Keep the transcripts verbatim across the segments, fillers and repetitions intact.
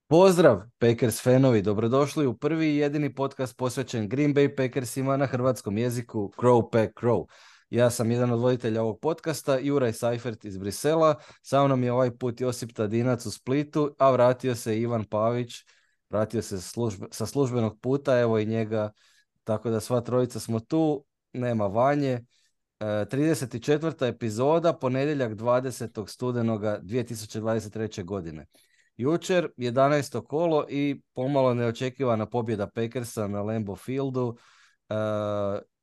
Pozdrav, Packers fanovi, dobrodošli u prvi i jedini podcast posvećen Green Bay Packersima na hrvatskom jeziku Crow Pack Crow. Ja sam jedan od voditelja ovog podcasta, Juraj Seifert iz Brisela, sa mnom je ovaj put Josip Tadinac u Splitu, a vratio se Ivan Pavić, vratio se službe, sa službenog puta, evo i njega, tako da sva trojica smo tu, nema Vanje. E, trideset četvrta epizoda, ponedjeljak dvadesetog studenoga dvije tisuće dvadeset treće. godine. Jučer, jedanaesto kolo i pomalo neočekivana pobjeda Packersa na Lambeau Fieldu e,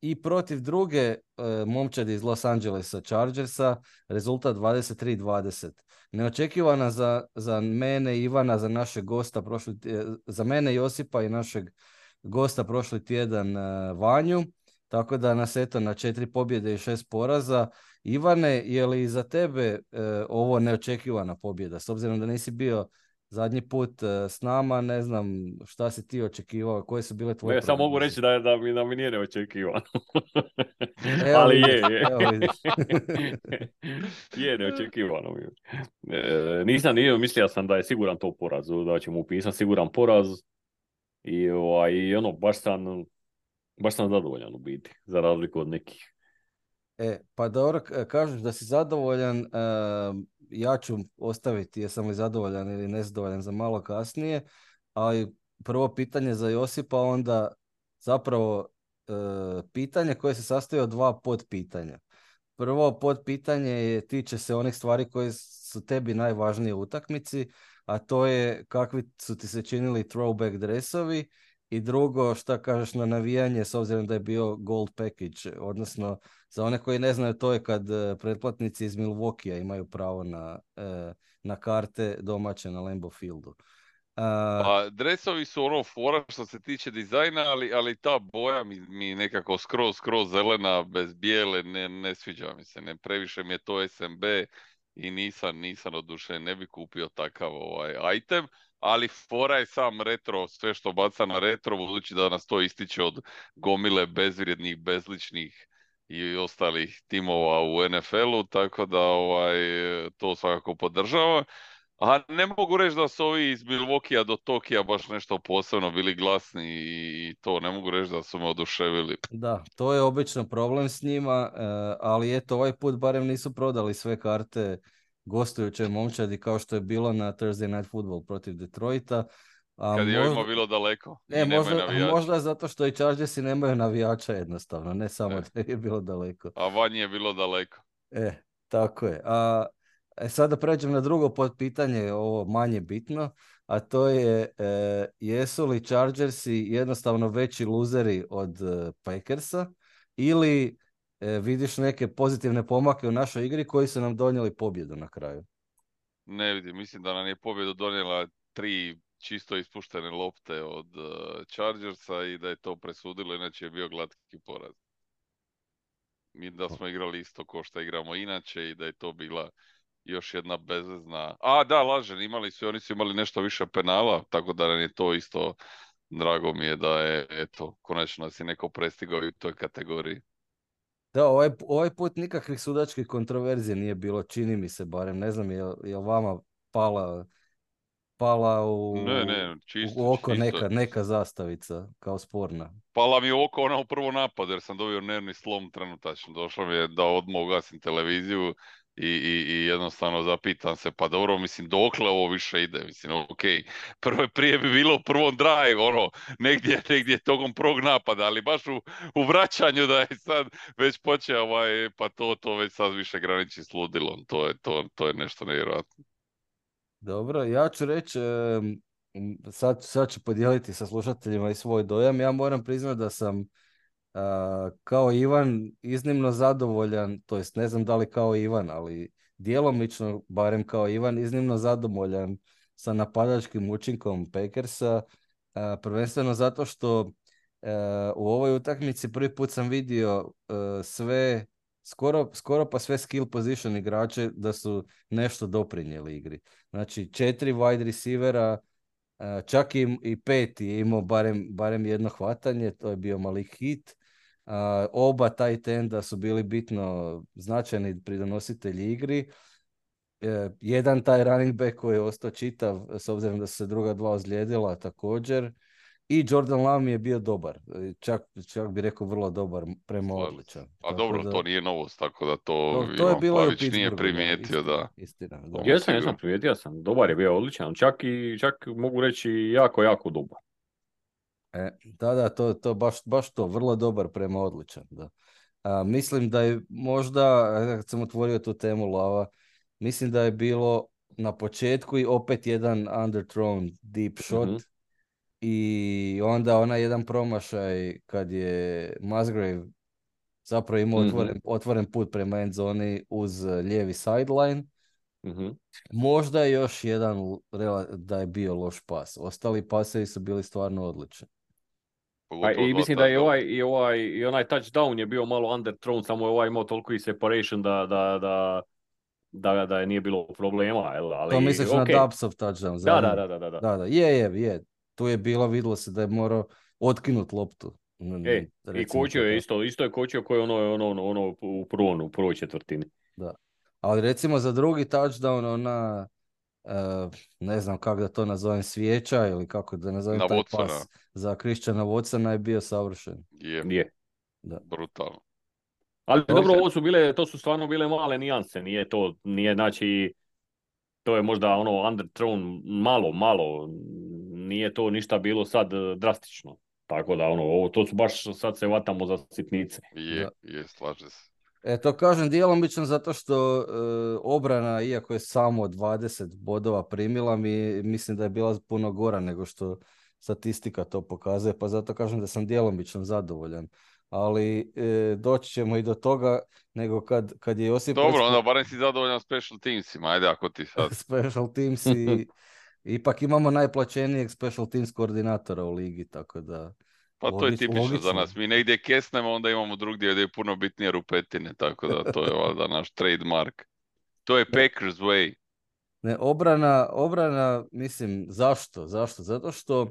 i protiv druge e, momčadi iz Los Angelesa Chargersa, rezultat dvadeset tri dvadeset. Neočekivana za, za mene, Ivana, za našeg gosta, prošli, za mene Josipa i našeg gosta prošli tjedan e, Vanju. Tako da nas eto na četiri pobjede i šest poraza. Ivane, je li za tebe e, ovo neočekivana pobjeda? S obzirom da nisi bio zadnji put e, s nama, ne znam šta si ti očekivao, koje su bile tvoje Ne, samo mogu prognoze? reći da, da, mi, da mi nije neočekivano. Evo Ali vidiš, je, je. evo vidiš. Je neočekivano mi. E, nisam, nije, mislio sam da je siguran to poraz, da ćemo upisati siguran poraz. I, ovaj, i ono, baš sam, baš sam zadovoljan u biti, za razliku od nekih. E, pa dobro, k- kažeš da si zadovoljan, e, ja ću ostaviti jesam li zadovoljan ili nezadovoljan za malo kasnije, ali prvo pitanje za Josipa, onda zapravo e, pitanje koje se sastoji od dva podpitanja. Prvo podpitanje je, tiče se onih stvari koje su tebi najvažnije u utakmici, a to je kakvi su ti se činili throwback dresovi, i drugo, šta kažeš na navijanje s obzirom da je bio gold package, odnosno za one koji ne znaju, to je kad e, pretplatnici iz Milwaukeea imaju pravo na, e, na karte domaće na Lambeau Fieldu. A, Pa dresovi su ono fora što se tiče dizajna, ali, ali ta boja mi, mi nekako skroz, skroz zelena, bez bijele, ne, ne sviđa mi se. Ne, previše mi je to S M B i nisam, nisam odušen, ne bi kupio takav ovaj item, ali fora je sam retro, sve što baca na retro, budući da nas to ističe od gomile bezvrijednih, bezličnih i ostalih timova u N F L-u, tako da ovaj, to svakako podržavam. A ne mogu reći da su ovi iz Milwaukeea do Tokija baš nešto posebno bili glasni i to ne mogu reći da su me oduševili. da, to je obično problem s njima, e, ali eto, ovaj put barem nisu prodali sve karte gostujućoj momčadi kao što je bilo na Thursday Night Football protiv Detroita. A Kad je ovima možda, bilo daleko e, i nemaju možda, navijača. možda zato što i Chargersi nemaju navijača jednostavno, ne samo E, da je bilo daleko. a vanje je bilo daleko. E, tako je. A e, sada pređem na drugo potpitanje, ovo manje bitno, a to je e, jesu li Chargersi jednostavno veći luzeri od e, Packersa ili e, vidiš neke pozitivne pomake u našoj igri koji su nam donijeli pobjedu na kraju? Ne vidim, mislim da nam je pobjedu donijela tri čisto ispuštene lopte od uh, Chargersa i da je to presudilo, inače je bio glatki poraz. Mi da smo igrali isto ko što igramo inače i da je to bila još jedna bezvezna... A, da, lažem, imali su, oni su imali nešto više penala, tako da nam je to isto, drago mi je da je, eto, konačno nas je neko prestigao i u toj kategoriji. Da, ovaj, ovaj put nikakvih sudačkih kontroverzija nije bilo, čini mi se barem, ne znam je li vama pala, pala Ne, u, ne, čisto, u oko čisto. neka, neka zastavica kao sporna. Pala mi u oko ona u prvo napad jer sam dobio nervni slom trenutačno. Došlo mi je da odmah ugasim televiziju i, i, i jednostavno zapitam se, pa dobro, mislim, dokle ovo više ide? Mislim, ok, prvo prije bi bilo u prvom drive, ono, negdje, negdje tokom prvog napada, ali baš u, u vraćanju da je sad već počeo, ovaj, pa to, to već sad više graniči s ludilom. To je, to, to je nešto nevjerojatno. Dobro, ja ću reći, em, m, sad, sad ću podijeliti sa slušateljima i svoj dojam. Ja moram priznati da sam a, kao Ivan iznimno zadovoljan, to jest ne znam da li kao Ivan, ali djelomično, barem kao Ivan, iznimno zadovoljan sa napadačkim učinkom Packersa, a, prvenstveno zato što e, u ovoj utakmici prvi put sam vidio e, sve, skoro, skoro pa sve skill position igrače da su nešto doprinijeli igri. Znači, četiri wide receivera, e, čak i, i pet je imao barem, barem jedno hvatanje, to je bio Malik Hit. A, oba tight enda su bili bitno značajni pridonositelji igri. e, jedan taj running back koji je ostao čitav, s obzirom da su se druga dva ozlijedila također. I Jordan Love mi je bio dobar. E, Čak, čak bi rekao vrlo dobar prema Slažem se. odličan. A Tako dobro, da, to nije novost, tako da to to, to je Ivan bilo i u Pavić nije Pittsburghu, da, primijetio, istina, da. istina, da. To mi Jesam, jesam, sigurno. primijetio sam. Dobar je bio odličan. Čak i, čak mogu reći jako, jako dobar. E, da, da, to, to baš, baš to, vrlo dobar prema odličan, da. A, mislim da je možda, e, kad sam otvorio tu temu Lava, mislim da je bilo na početku i opet jedan underthrown deep shot Mhm. i onda onaj jedan promašaj kad je Musgrave zapravo imao Mhm. otvoren, otvoren put prema end zoni uz e, lijevi sideline. Mhm. Možda je još jedan l- rela- da je bio loš pas. Ostali pasevi su bili stvarno odlični. Pa Pogotovo i dva mislim da je touchdowna. ovaj, i ovaj, i onaj touchdown je bio malo underthrown, samo je ovaj imao toliko i separation da, da, da, da, da je nije bilo problema, jel? To Ali misliš na ok. Dubsov touchdown Da, da, zadnji? da, da, da, da. Da, da, je, je, je. Tu je bilo, vidjelo se da je morao otkinut loptu. N- E, n- i Recimo to kočio je tako. isto, isto je kočio koji ono, ono, ono, ono u prvom, u prvoj četvrtini. Da. Ali recimo za drugi touchdown, ona, e, ne znam kako da to nazovem, svijeća ili kako da nazovem Na taj Watsona. pas za Christiana Watsona je bio savršen. Je, Je. Da. brutalno. Ali To dobro, se- ovo su bile, to su stvarno bile male nijanse, nije to, nije znači, to je možda ono underthrown malo, malo, nije to ništa bilo sad eh, drastično. Tako da ono, ovo, to su baš, sad se vatamo za sitnice. Je, Da. je, slaže se. E, to kažem djelomično zato što e, obrana, iako je samo dvadeset bodova primila, mi, mislim da je bila puno gora nego što statistika to pokazuje, pa zato kažem da sam djelomično zadovoljan. Ali e, doći ćemo i do toga, nego kad, kad je Josip Dobro, Recko onda barem si zadovoljan special teamsima, ajde ako ti sad. special teams i ipak imamo najplaćenijeg special teams koordinatora u ligi, tako da Pa to je logič, tipično za logično. nas. Mi negdje kesnemo, onda imamo drugdje gdje je puno bitnije rupetine, tako da to je valjda naš trademark. To je Ne. Packers way. Ne, obrana, obrana, mislim, zašto? Zašto? Zato što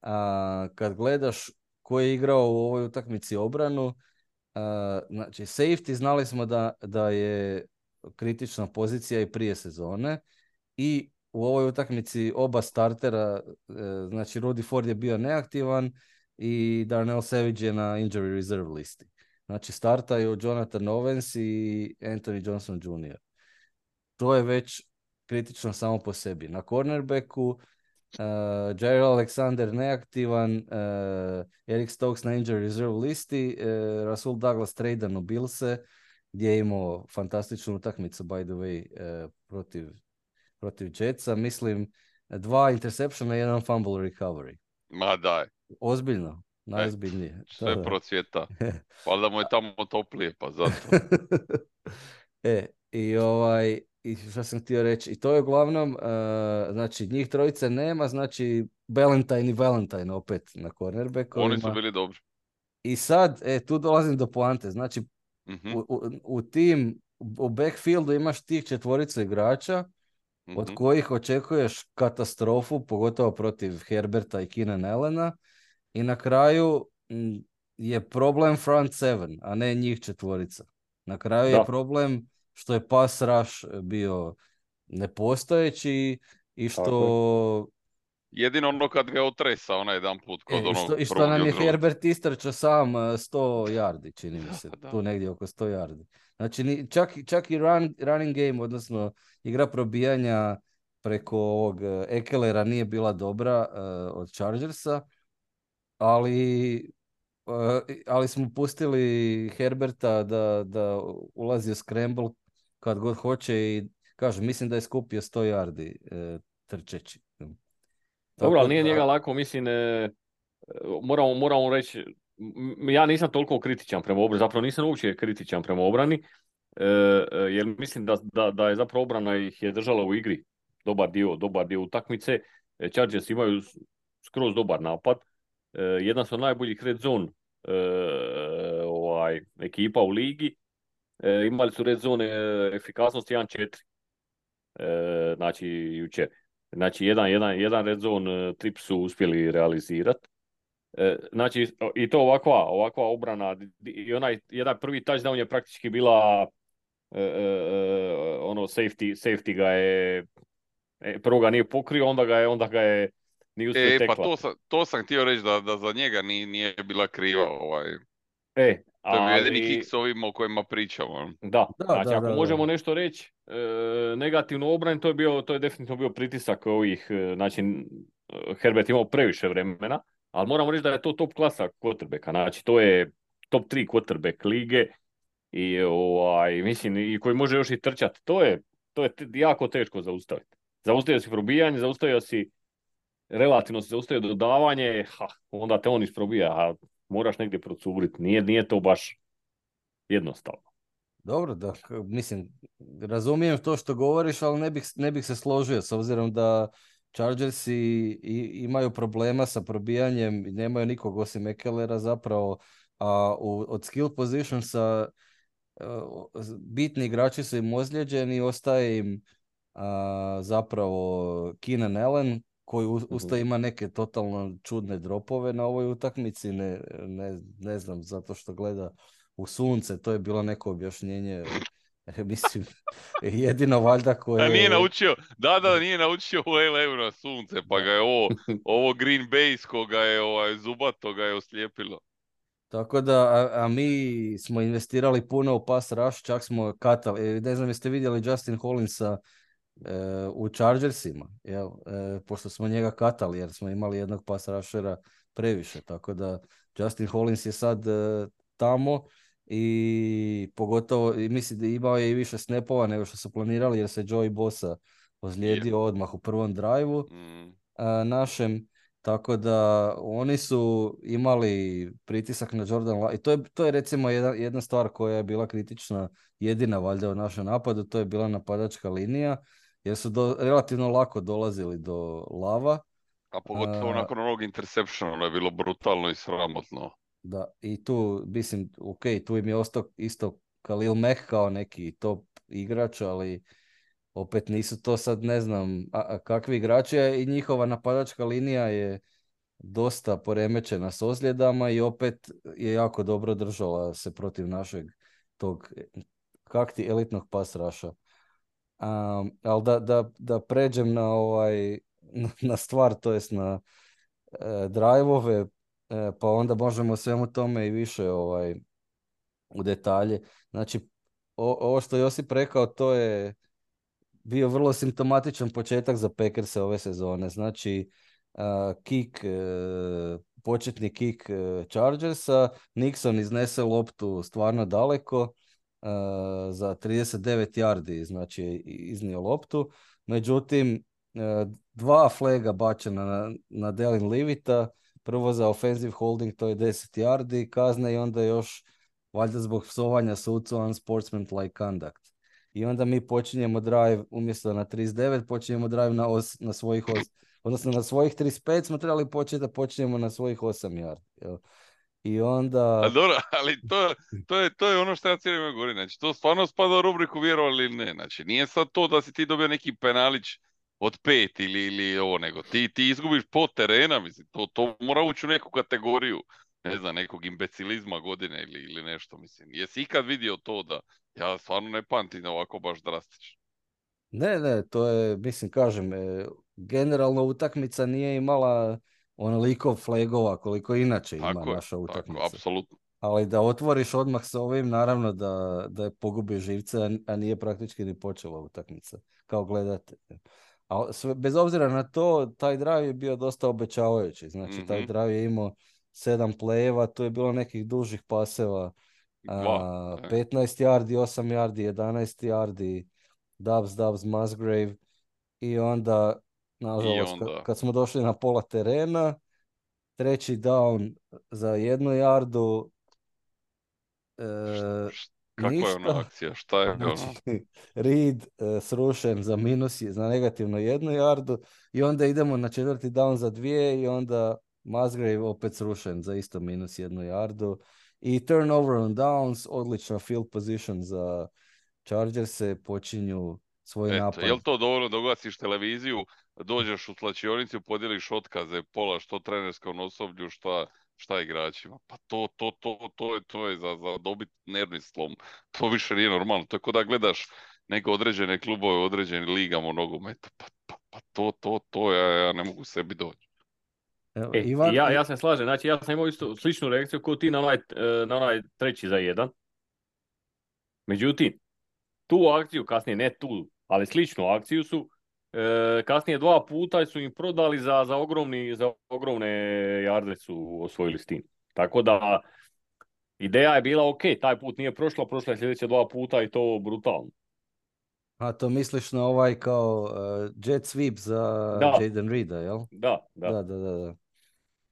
a, kad gledaš ko je igrao u ovoj utakmici obranu, a, znači safety znali smo da, da je kritična pozicija i prije sezone i u ovoj utakmici oba startera, e, znači Rudy Ford je bio neaktivan i Darnell Savage je na injury reserve listi. Znači startaju Jonathan Owens i Anthony Johnson junior To je već kritično samo po sebi. Na cornerbacku uh, Jair Alexander neaktivan, uh, Eric Stokes na injury reserve listi, uh, Rasul Douglas tradan u Billse, gdje je imao fantastičnu utakmicu, by the way, uh, protiv, protiv Jetsa. Mislim, dva interceptiona i jedan fumble recovery. Ma daj, Ozbiljno, najozbiljnije. sve Da, da. procvjeta. Valjda mu je tamo toplije, pa zato. E, i ovaj, i što sam htio reći, i to je uglavnom, uh, znači njih trojice nema, znači Valentine i Valentine opet na Oni su cornerbackovima. bili dobri. I sad, e, tu dolazim do poante, znači Mhm, u, u, u tim, u backfieldu imaš tih četvoricu igrača, od mhm. kojih očekuješ katastrofu, pogotovo protiv Herberta i Keenan Allena, i na kraju m, je problem front seven, a ne njih četvorica. Na kraju je Da. problem što je pass rush bio nepostojeći i Tako što, Jedino ono kad ga otresa onaj jedan put kod e, i onog što, i što prvog nam je jutra. Herbert istrčao sam uh, sto yardi, čini mi se, Da. tu negdje oko sto yardi. Znači, ni, čak, čak i run, running game, odnosno igra probijanja preko ovog uh, Ekelera nije bila dobra uh, od Chargersa, ali Uh, ali smo pustili Herberta da, da ulazi u scramble kad god hoće i kažem, mislim da je skupio sto yardi uh, trčeći. Dobro, Tako ali nije da, njega lako, mislim, e, moramo, moramo reći, m- ja nisam toliko kritičan prema obrani, zapravo nisam uopće kritičan prema obrani, e, e, jer mislim da, da, da je zapravo obrana ih je držala u igri dobar dio, dobar dio utakmice. E, Chargers imaju s- skroz dobar napad, e, jedan su od najboljih red zone e, ovaj, ekipa u ligi, e, imali su red zone e, efikasnost jedan četiri, e, znači jučer. Znači, jedan, jedan, jedan red zone uh, trip su uspjeli realizirati. E, znači, i to ovakva, ovakva obrana. I onaj jedan prvi touchdown je praktički bila e, e, ono safety, safety ga je, e, prvo ga nije pokrio, onda ga je, onda ga je nije uspio E, pa to teklati. sam, to sam htio reći da, da za njega nije, nije bila kriva. Ovaj. E, To je bio jedini ali... kick s ovima o kojima pričamo. Da, Da, znači da, ako da, da. možemo nešto reći e, negativno obrani, to je bio, to je definitivno bio pritisak ovih, e, znači e, Herbert imao previše vremena, ali moramo reći da je to top klasa quarterbacka, znači to je top tri quarterback lige i ovaj, mislim, i koji može još i trčati, to je, to je te- jako teško zaustaviti. Zaustavio si probijanje, zaustavio si, relativno si zaustavio dodavanje, ha, onda te on isprobija, a moraš negdje procuriti, nije, nije to baš jednostavno. Dobro, da, k- mislim, razumijem to što govoriš, ali ne bih, ne bih se složio s obzirom da Chargersi i, imaju problema sa probijanjem, i nemaju nikog osim Ekelera zapravo, a u, od skill positionsa uh, bitni igrači su im ozlijeđeni, ostaje im a, zapravo Keenan Allen, koji u, uz to Mhm. ima neke totalno čudne dropove na ovoj utakmici, ne, ne, ne znam, zato što gleda u sunce, to je bilo neko objašnjenje, mislim, jedino valjda A nije koje... naučio, da, da, nije naučio u L A na sunce, pa Da. ga je ovo, ovo Green Bay koga je ovaj, zubato ga je oslijepilo. Tako da, a, a mi smo investirali puno u pass rush, čak smo katali, e, ne znam jeste vidjeli Justin Hollinsa e, u Chargersima, jel? E, pošto smo njega katali jer smo imali jednog pass rushera previše, tako da Justin Hollins je sad e, tamo i pogotovo, i mislim da imao je i više snapova nego što su planirali jer se Joey Bosa Je. ozlijedio odmah u prvom drive-u Mm. a, našem, tako da oni su imali pritisak na Jordan La- i to je, to je recimo jedna, jedna stvar koja je bila kritična, jedina valjda u našem napadu, to je bila napadačka linija, jer su do, relativno lako dolazili do Lava. A pogotovo A, nakon onog interceptiona, ono je bilo brutalno i sramotno. da, i tu, mislim, ok, tu im je ostao isto Khalil Mack kao neki top igrač, ali opet nisu to sad, ne znam, a, a kakvi igrači, a i njihova napadačka linija je dosta poremećena s ozljedama i opet je jako dobro držala se protiv našeg tog kakti elitnog pass rusha. Um, ali da, da, da pređem na ovaj na, na stvar, to jest na e, drive-ove, e, pa onda možemo o svemu tome i više ovaj u detalje. Znači, o, ovo što je Josip rekao, to je bio vrlo simptomatičan početak za Packerse ove sezone. Znači, uh, kick, uh, početni kick uh, Chargersa, Nixon iznese loptu stvarno daleko uh, za trideset devet yardi, znači je iznio loptu. Međutim, uh, dva flaga bačena na, na Delin Livita, prvo za offensive holding, to je deset yardi kazne i onda još valjda zbog psovanja sucu unsportsmanlike conduct. I onda mi počinjemo drive, umjesto na trideset devet, počinjemo drive na, os, na svojih os, odnosno na svojih trideset pet smo trebali početi da počinjemo na svojih osam yardi. Jel? I A onda... dobro, ali to, to, je, to je ono što ja cijelo vrijeme govorim. Znači, to stvarno spada u rubriku vjerovali ili ne. Znači, nije sad to da si ti dobio neki penalić od pet ili, ili ovo, nego ti, ti izgubiš po terena, mislim, to, to mora ući u neku kategoriju, ne znam, nekog imbecilizma godine ili, ili nešto, mislim. Jesi ikad vidio to da, ja stvarno ne pamtim ovako baš drastično. Ne, ne, to je, mislim, kažem, e, generalno utakmica nije imala onoliko flagova koliko inače ima Tako je, naša tako, utakmica. apsolutno. Ali da otvoriš odmah sa ovim, naravno da, da je pogubi živce, a a nije praktički ni počela utakmica, kao gledatelj. A sve, bez obzira na to, taj drive je bio dosta obećavajući. Znači, taj Mhm. drive je imao sedam play-eva, tu je bilo nekih dužih paseva, Dva. a, E. petnaest yardi, osam yardi, jedanaest yardi, Dubs, Dubs, Musgrave i onda, I nažalost, ka- onda, kad smo došli na pola terena, treći down za jednu yardu, št- e, št- kakva je ona ništa. akcija, šta je Znači, ono? Reed e, srušen za minus, za negativno jednu yardu i onda idemo na četvrti down za dvije i onda Musgrave opet srušen za isto minus jednu yardu. I turnover on downs, odlična field position za Chargers, se počinju svoj Eto, napad. jel to dovoljno da ugasiš televiziju, dođeš u slačionicu, podijeliš otkaze, pola što trenerskom osoblju, šta šta igračima. Pa to, to, to, to je, to je za, za dobit nervni slom. To više nije normalno. To je kao da gledaš neke određene klubove u određenim ligama u nogometu. Pa, pa, pa to, to, to, ja, ja ne mogu sebi doći. Evo, E, Ivan, ja, i- ja se slažem, znači ja sam imao isto sličnu reakciju kao ti na onaj, e, na onaj treći za jedan. Međutim, tu akciju, kasnije ne tu, ali sličnu akciju su, e, kasnije dva puta su im prodali za, za, ogromni, za ogromne jarde su osvojili s tim. Tako da, ideja je bila ok, taj put nije prošlo, prošlo je sljedeće dva puta i to brutalno. a to misliš na ovaj kao uh, jet sweep za Da, Jaden Reeda, jel? da, da, Da, da, da, da.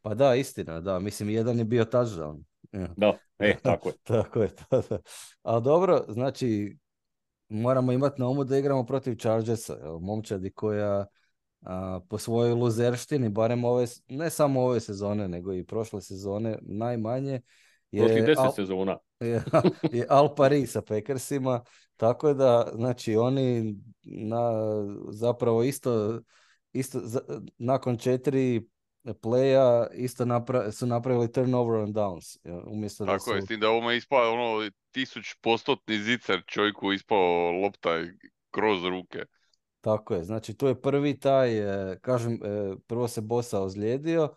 Pa da, istina, da. Mislim, jedan je bio touchdown. Ja. da, e, Da, tako je. tako je, da, da. Ali dobro, znači, moramo imati na umu da igramo protiv Chargersa, jel? Momčadi koja a, po svojoj luzerštini, barem ove, s- ne samo ove sezone, nego i prošle sezone, najmanje, Prošlih je deset al, sezona. je, je al pari sa Packersima, tako da, znači, oni na, zapravo isto, isto za- nakon četiri playa isto napra- su napravili turnover on downs, jel? Umjesto da Tako je, su. s tim da ovo ispao ono tisuć postotni zicer čovjeku ispao lopta kroz ruke. Tako je, znači tu je prvi taj, e, kažem, e, prvo se Bosa ozlijedio,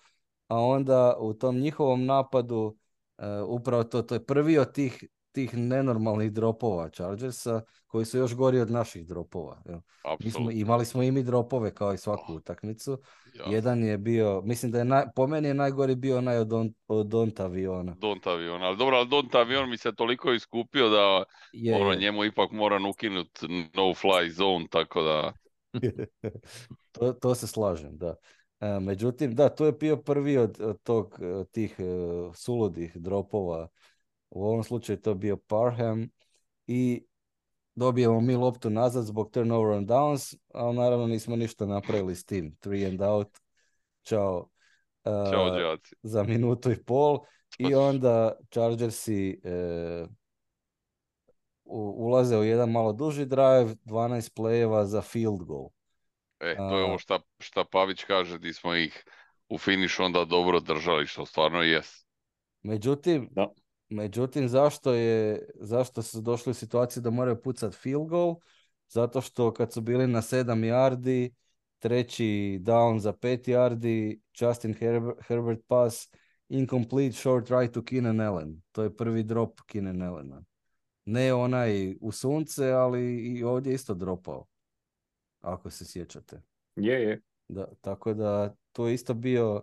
a onda u tom njihovom napadu, e, upravo to, to je prvi od tih, tih nenormalnih dropova Chargersa, koji su još gori od naših dropova. Jel? Mi smo, Apsolutno. imali smo i mi dropove kao i svaku Oh, utakmicu. jasno. Jedan je bio, mislim da je, naj, po meni je najgori bio onaj od, on, od Donta aviona. Don't avion, ali dobro, ali Don't avion mi se toliko iskupio da Je, ono, je. njemu ipak moram ukinut no fly zone, tako da To, to se slažem, da. E, međutim, da, to je bio prvi od, od tog, od tih e, suludih dropova. U ovom slučaju to je bio Parham i dobijemo mi loptu nazad zbog turnover on downs, ali naravno nismo ništa napravili s tim. Three and out, čao, e, čao đaci. za minutu i pol. Pa, I onda Chargersi e, u- ulaze u jedan malo duži drive, dvanaest play-eva za field goal. e, to je A, ovo šta, šta Pavić kaže, di smo ih u finišu onda dobro držali, što stvarno jes. Međutim, Da. Međutim, zašto je, zašto su došli u situaciju da moraju pucati field goal? Zato što kad su bili na sedam yardi, treći down za pet yardi, Justin Herber- Herbert pass, incomplete short right to Keenan Allen. To je prvi drop Keenan Allena. Ne onaj u sunce, ali i ovdje isto dropao, ako se sjećate. Je, je. Da, tako da to je isto bio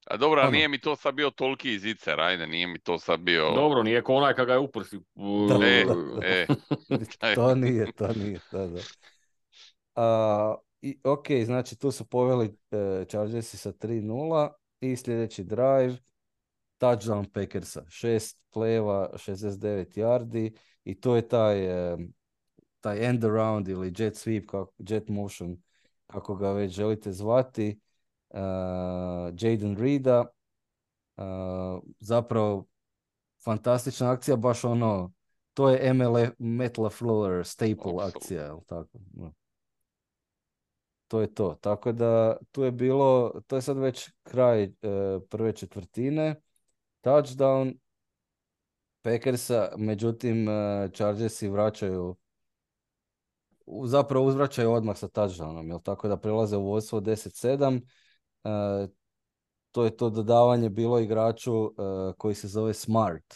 A dobro, ali ono. nije mi to sad bio toliki zicer, ajde, nije mi to sad bio... Dobro, nije ko onaj kad ga je uprsi. Da, E, da, da. e, taj- To nije, to nije, da, da. A, i, ok, znači tu su poveli e, Chargersi sa tri nula i sljedeći drive, touchdown Packersa, šest play-eva, šezdeset devet yardi i to je taj, e, taj end around ili jet sweep, kako, jet motion, kako ga već želite zvati, uh, Jaden Reeda, uh, zapravo fantastična akcija, baš ono, to je M L F, Matt LaFleur staple Apsolutno. akcija, jel tako? No. To je to. Tako da tu je bilo, to je sad već kraj e, prve četvrtine. Touchdown Packersa, međutim e, Chargersi vraćaju, u- zapravo uzvraćaju odmah sa touchdownom, jel tako da prelaze u vodstvo deset sedam. E, to je to dodavanje bilo igraču e, koji se zove Smart.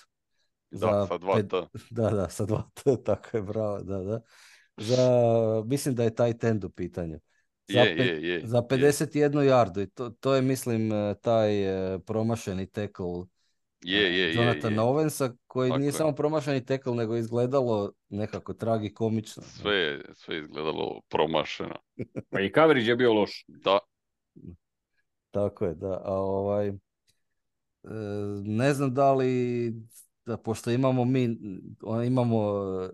Da, Za sa dva pet- T. Da, da, sa dva T, tako je, bravo, da, da. Za, mislim da je taj tend u pitanju. Za, Je, pe- je, je, za je. pedeset jednu jardu i to, to je, mislim, eh, taj eh, promašeni tackle Je, eh, je, je, Jonathana je. Owensa, koji nije Tako je. samo promašeni tackle, nego je izgledalo nekako tragikomično. Sve, je- sve je izgledalo promašeno. Pa i coverage je bio loš. Da, Tako je, da. A ovaj, E, ne znam da li, da, pošto imamo mi, o- imamo e,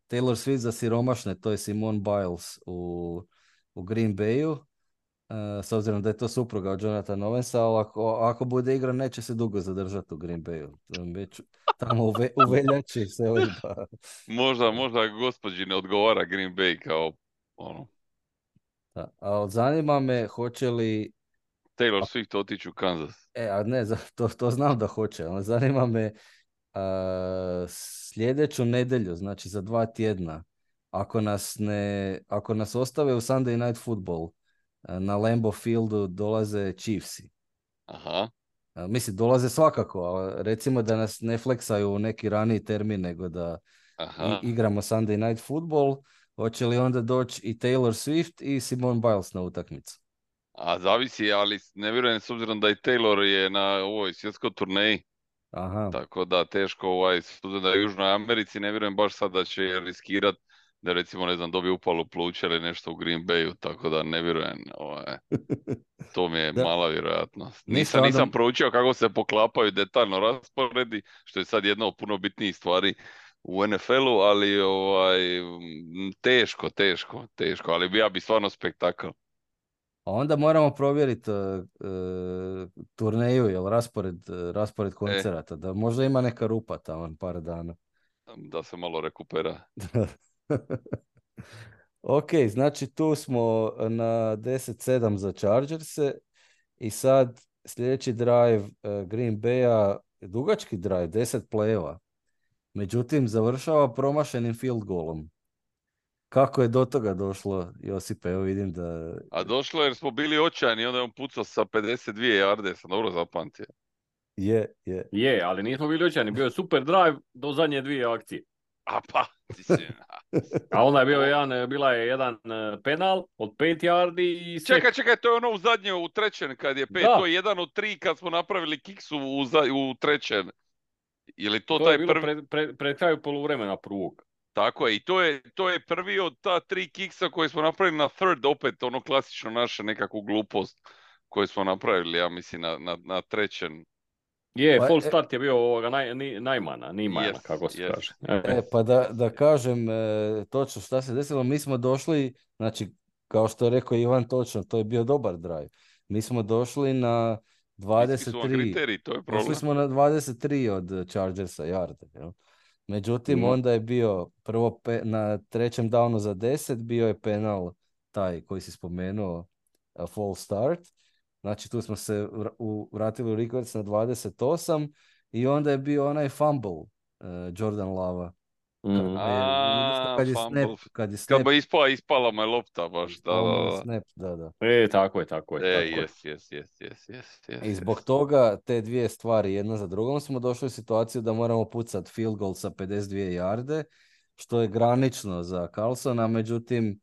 Taylor Swift za siromašne, to je Simone Biles u, u Green Bayu, e, s obzirom da je to supruga od Jonathana Owensa, ali ako, ako bude igra neće se dugo zadržati u Green Bayu. Već tamo u, ve, u veljači selidba. možda, možda gospođi ne odgovara Green Bay kao ono. Da. A zanima me hoće li Taylor Swift otići u Kansas. E, a ne, za- to, to znam da hoće, ali zanima me a, sljedeću nedjelju, znači za dva tjedna, ako nas ne, ako nas ostave u Sunday Night Football, a, na Lambeau Fieldu dolaze Chiefsi. Aha, A, mislim, dolaze svakako, ali recimo da nas ne fleksaju u neki raniji termin, nego da i, aha. igramo Sunday Night Football, hoće li onda doći i Taylor Swift i Simone Biles na utakmicu? A zavisi, ali ne vjerujem s obzirom da i Taylor je na ovoj svjetskoj turneji, Aha. tako da teško ovaj, s obzirom da je u Južnoj Americi, ne vjerujem baš sad da će riskirat da recimo, ne znam, dobije upalu pluća ili nešto u Green Bayu, tako da ne vjerujem, ovaj, to mi je Da, mala vjerojatnost. ništa Nisam, onda. nisam proučio kako se poklapaju detaljno rasporedi, što je sad jedna od puno bitnijih stvari u N F L-u, ali ovaj, m, teško, teško, teško, ali bi ja bi stvarno spektakl. A onda moramo provjeriti uh, uh, turneju, jel raspored, uh, raspored E, koncerata, da možda ima neka rupa tamo par dana. da se malo rekupera. Ok, znači tu smo na deset sedam za Chargerse i sad sljedeći drive uh, Green Bay-a, dugački drive, deset play-eva. Međutim, završava promašenim field goalom. Kako je do toga došlo, Josipe? Evo vidim da... A došlo je jer smo bili očajni i onda je on pucao sa pedeset dvije jarde, sam dobro zapamtio. Je, je. Je, ali nismo bili očajni. Bio je super drive do zadnje dvije akcije. A pa, ti si... A onda je bio jedan, bila je jedan eh, penal od pet yardi i sve. Čekaj, čekaj, to je ono u zadnje, u trećem kad je pet, Da. to je jedan od tri kad smo napravili kiksu u, za, u trećem. Je li to, To taj je bilo prvi? pred, pred, pred kraju poluvremena prvog. Tako je, i to je, to je prvi od ta tri kiksa koje smo napravili na third, opet ono klasično naše nekakvu glupost koju smo napravili, ja mislim, na, na, na trećem. Je, Pa, full e- start je bio ovoga naj, ni, najmana, nimana, Yes, kako se yes. kaže. E, E, pa da, da kažem e, točno šta se desilo, mi smo došli, znači, kao što je rekao Ivan točno, to je bio dobar drive. Mi smo došli na Niski su vam dvadeset tri, kriteriji, to je došli problem. smo na dvadeset tri od Chargersa yarde, jel? Međutim, Mhm. onda je bio prvo pe- na trećem downu za deset, bio je penal taj koji si spomenuo, a false start. Znači tu smo se vr- u- vratili u Records na dvadeset osam i onda je bio onaj fumble e, Jordan Lava. Kad mhm. je, odnosno A, kad je snap, fumble. kad je Kad snap, bi ispala, ispala me lopta baš, da, ispao mu je da, da. snap, da, da. E, tako je, tako je, E, tako je. jes, jes, jes, jes, jes, jes, I zbog jes. toga te dvije stvari jedna za drugom smo došli u situaciju da moramo pucati field goal sa pedeset dvije jarde, što je granično za Carlsona, međutim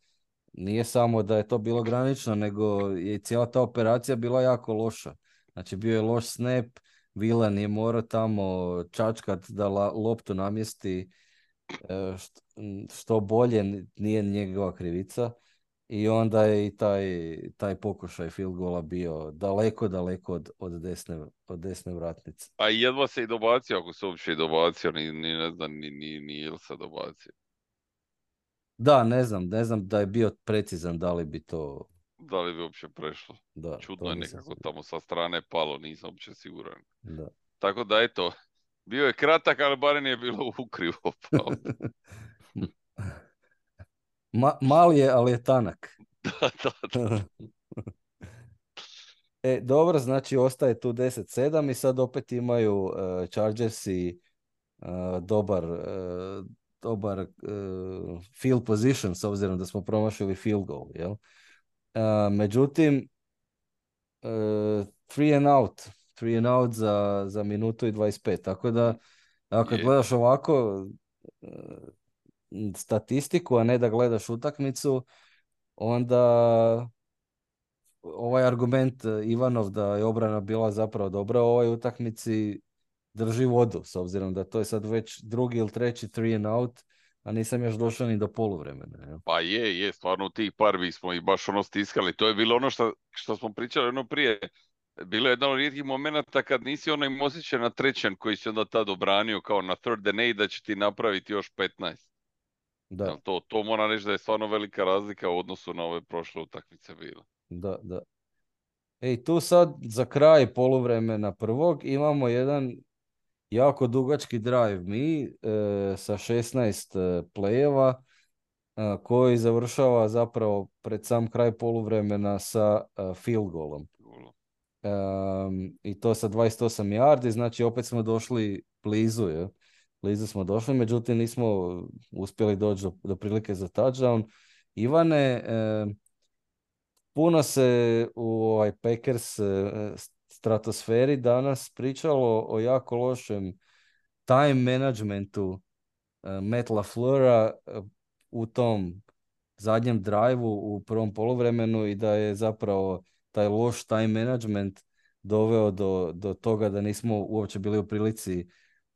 nije samo da je to bilo granično, nego je cijela ta operacija bila jako loša. Znači bio je loš snap, Vilan je morao tamo čačkat da la, loptu namjesti e, što, što bolje, n- nije njegova krivica. I onda je i taj, taj pokušaj field goala bio daleko, daleko od, od, desne, od desne vratnice. A jedva se i dobacio, ako se uopće i dobacio, ni, ni ne znam, ni, ni, ni jel se dobacio. Da, ne znam, ne znam da je bio precizan da li bi to... Da li bi uopće prešlo? Da, Čudno to je nisam nekako siguran. tamo sa strane palo, nisam uopće siguran. Da. Tako da eto, bio je kratak, ali barem je bilo ukrivo pao. Ma, mali je, ali je tanak. Da, da, da. E, dobro, znači ostaje tu deset sedam i sad opet imaju uh, Chargersi uh, dobar, uh, dobar uh, field position s obzirom da smo promašili field goal, jel? Uh, međutim, uh, three and out, three and out za, za minutu i dvadeset pet, tako da ako kad Je. gledaš ovako uh, statistiku, a ne da gledaš utakmicu, onda ovaj argument e, Ivanov da je obrana bila zapravo dobra u ovoj utakmici drži vodu, s obzirom da to je sad već drugi ili treći three and out, a nisam još došao ni do poluvremena. Jel? Pa je, je, stvarno u tih parvi smo i baš ono stiskali. To je bilo ono što, što smo pričali ono prije. Bilo je jedan od rijetkih momenata kad nisi onaj osjećaj na trećem koji si onda tad obranio kao na third and eight da će ti napraviti još petnaest. Da, Jel to, to moram reći da je stvarno velika razlika u odnosu na ove prošle utakmice bila. da, da. Ej, tu sad za kraj poluvremena prvog imamo jedan jako dugački drive mi e, sa šesnaest e, play-eva e, koji završava zapravo pred sam kraj poluvremena sa e, field goalom. Um, i to sa dvadeset osam yardi, znači opet smo došli blizu, je. Blizu smo došli, međutim nismo uspjeli doći do, do prilike za touchdown. Ivane, um, puno se u ovaj Packers uh, stratosferi danas pričalo o jako lošem time managementu uh, Matt LaFleura uh, u tom zadnjem drive-u u prvom poluvremenu i da je zapravo taj loš time management doveo do, do toga da nismo uopće bili u prilici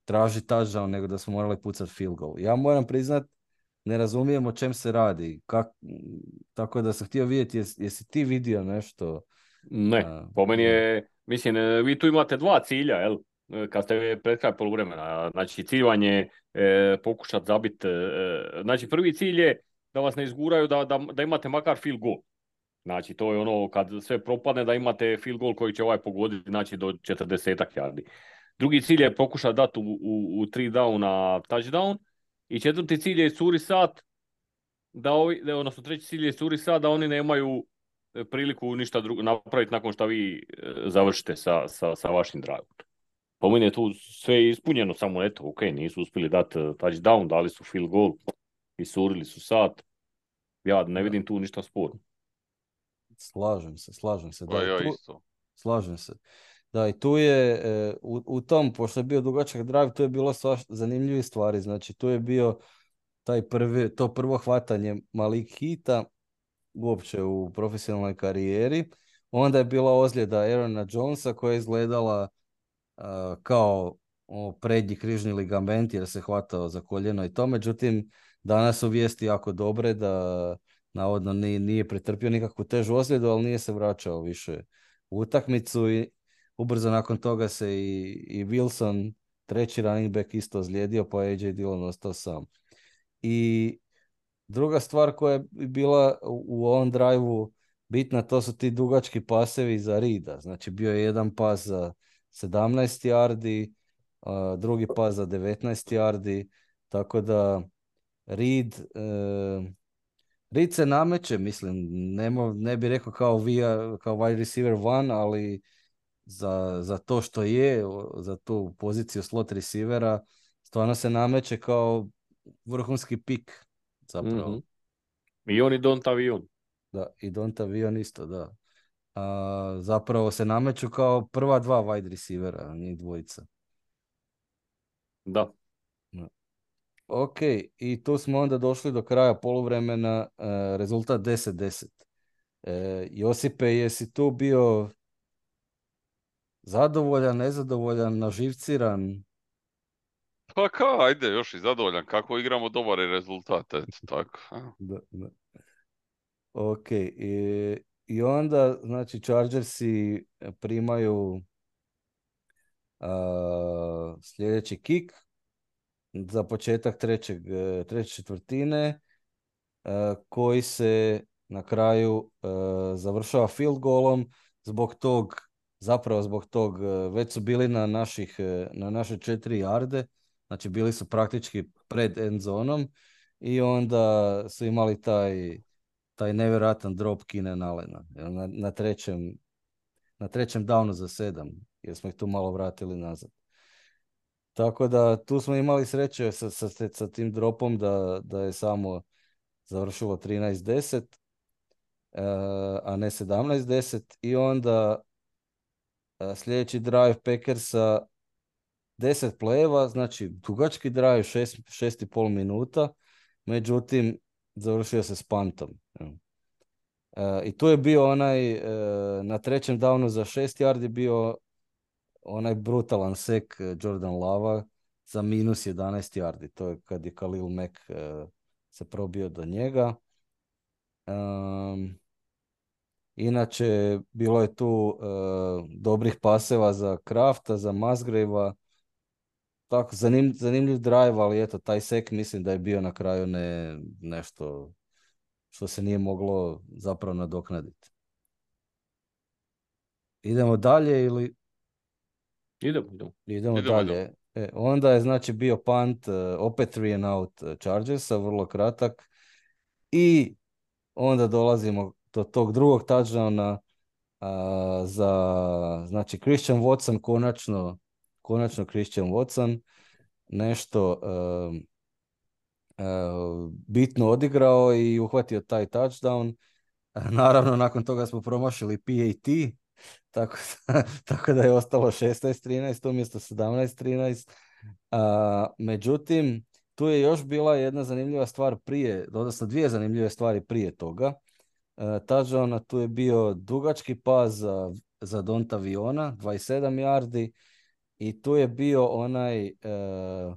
tražiti touchdown, nego da smo morali pucati field goal. Ja moram priznat, ne razumijem o čem se radi. Kak, tako da sam htio vidjeti, jes, jesi ti vidio nešto? Ne, A, po meni ne. je, mislim, e, vi tu imate dva cilja, jel? E, Kad ste pred kraj poluvremena, znači cilj vam je e, pokušati zabiti, e, znači prvi cilj je da vas ne izguraju, da, da, da imate makar field goal. Znači to je ono kad sve propadne da imate field goal koji će ovaj pogoditi, znači do četrdesetak yardi. Drugi cilj je pokušati dati u, u, u tri downa touchdown i četvrti cilj je iscuri sat, da ovi, da, odnosno treći cilj je iscuri sat da oni nemaju e, priliku ništa drugo napraviti nakon što vi e, završite sa, sa, sa vašim drive. Po meni je tu sve ispunjeno, samo eto, ok, nisu uspjeli dati touchdown, dali su field goal, isurili su sat. Ja ne Da. vidim tu ništa sporno. Slažem se, slažem se. Da, Pa i ja tu, isto. slažem se. Da, i tu je, e, u, u tom, pošto je bio dugačak drive, tu je bilo svaš zanimljivih stvari. Znači, tu je bio taj prvi, to prvo hvatanje Malik Hita uopće u profesionalnoj karijeri. Onda je bila ozljeda Aarona Jonesa koja je izgledala uh, kao o, prednji križni ligament jer se hvatao za koljeno i to. Međutim, danas su vijesti jako dobre da navodno nije, nije pretrpio nikakvu težu ozljedu, ali nije se vraćao više u utakmicu i ubrzo nakon toga se i, i Wilson, treći running back, isto ozlijedio, pa je A J Dillon ostao sam. I druga stvar koja je bila u, u ovom drive-u bitna, to su ti dugački pasevi za Reeda. Znači bio je jedan pas za sedamnaest yardi, a, drugi pas za devetnaest yardi, tako da Reed, e, Reed se nameće, mislim, nemo, ne bi rekao kao, via, kao wide receiver one, ali za, za to što je, za tu poziciju slot receivera, stvarno se nameće kao vrhunski pik zapravo. Mm-hmm. I on i Dontavion. Da, i Dontavion isto, da. A, zapravo se nameću kao prva dva wide receivera, njih dvojica. Da. Da. Ok, i tu smo onda došli do kraja poluvremena, uh, rezultat deset deset. E, Josipe, jesi tu bio zadovoljan, nezadovoljan, naživciran? Pa ka, ajde, još i zadovoljan. Kako igramo, dobar je rezultat, eto, tako. Da, da. Ok, i, i onda, znači, Chargersi primaju a, sljedeći kick za početak trećeg, treće četvrtine, a, koji se na kraju a, završava field goalom. Zbog tog, zapravo zbog tog, već su bili na naših, na naše četiri jarde, znači bili su praktički pred end zonom i onda su imali taj taj nevjerojatan drop Keenan Allena na, na trećem na trećem downu za sedam, jer smo ih tu malo vratili nazad. Tako da tu smo imali sreće sa, sa, sa tim dropom da, da je samo završilo trinaest deset, uh, a ne sedamnaest deset i onda uh, sljedeći drive Packersa deset play-eva, znači dugački drive, šest i pol minuta, međutim završio se s puntom. Uh, I tu je bio onaj, uh, na trećem downu za šest yardi bio onaj brutalan sek Jordan Lava za minus jedanaest yardi. To je kad je Khalil Mack uh, se probio do njega. Um, inače, bilo je tu uh, dobrih paseva za Krafta, za Musgrave-a. Tako, zanim, zanimljiv drive, ali eto, taj sek mislim da je bio na kraju ne, nešto što se nije moglo zapravo nadoknaditi. Idemo dalje ili... Idemo, idemo. Idemo, Idemo, dalje. idemo. E, onda je znači bio punt, uh, opet three and out Chargersa, vrlo kratak. I onda dolazimo do tog drugog touchdowna A, za, znači, Christian Watson, konačno, konačno Christian Watson, nešto um, uh, bitno odigrao i uhvatio taj touchdown. Naravno, nakon toga smo promašili P A T, tako da, tako da je ostalo šesnaest trinaest umjesto sedamnaest trinaest. A, međutim, tu je još bila jedna zanimljiva stvar prije, odnosno dvije zanimljive stvari prije toga. Uh, touchdowna tu je bio dugački pas za, za Donta Viona, dvadeset sedam yardi, i tu je bio onaj uh,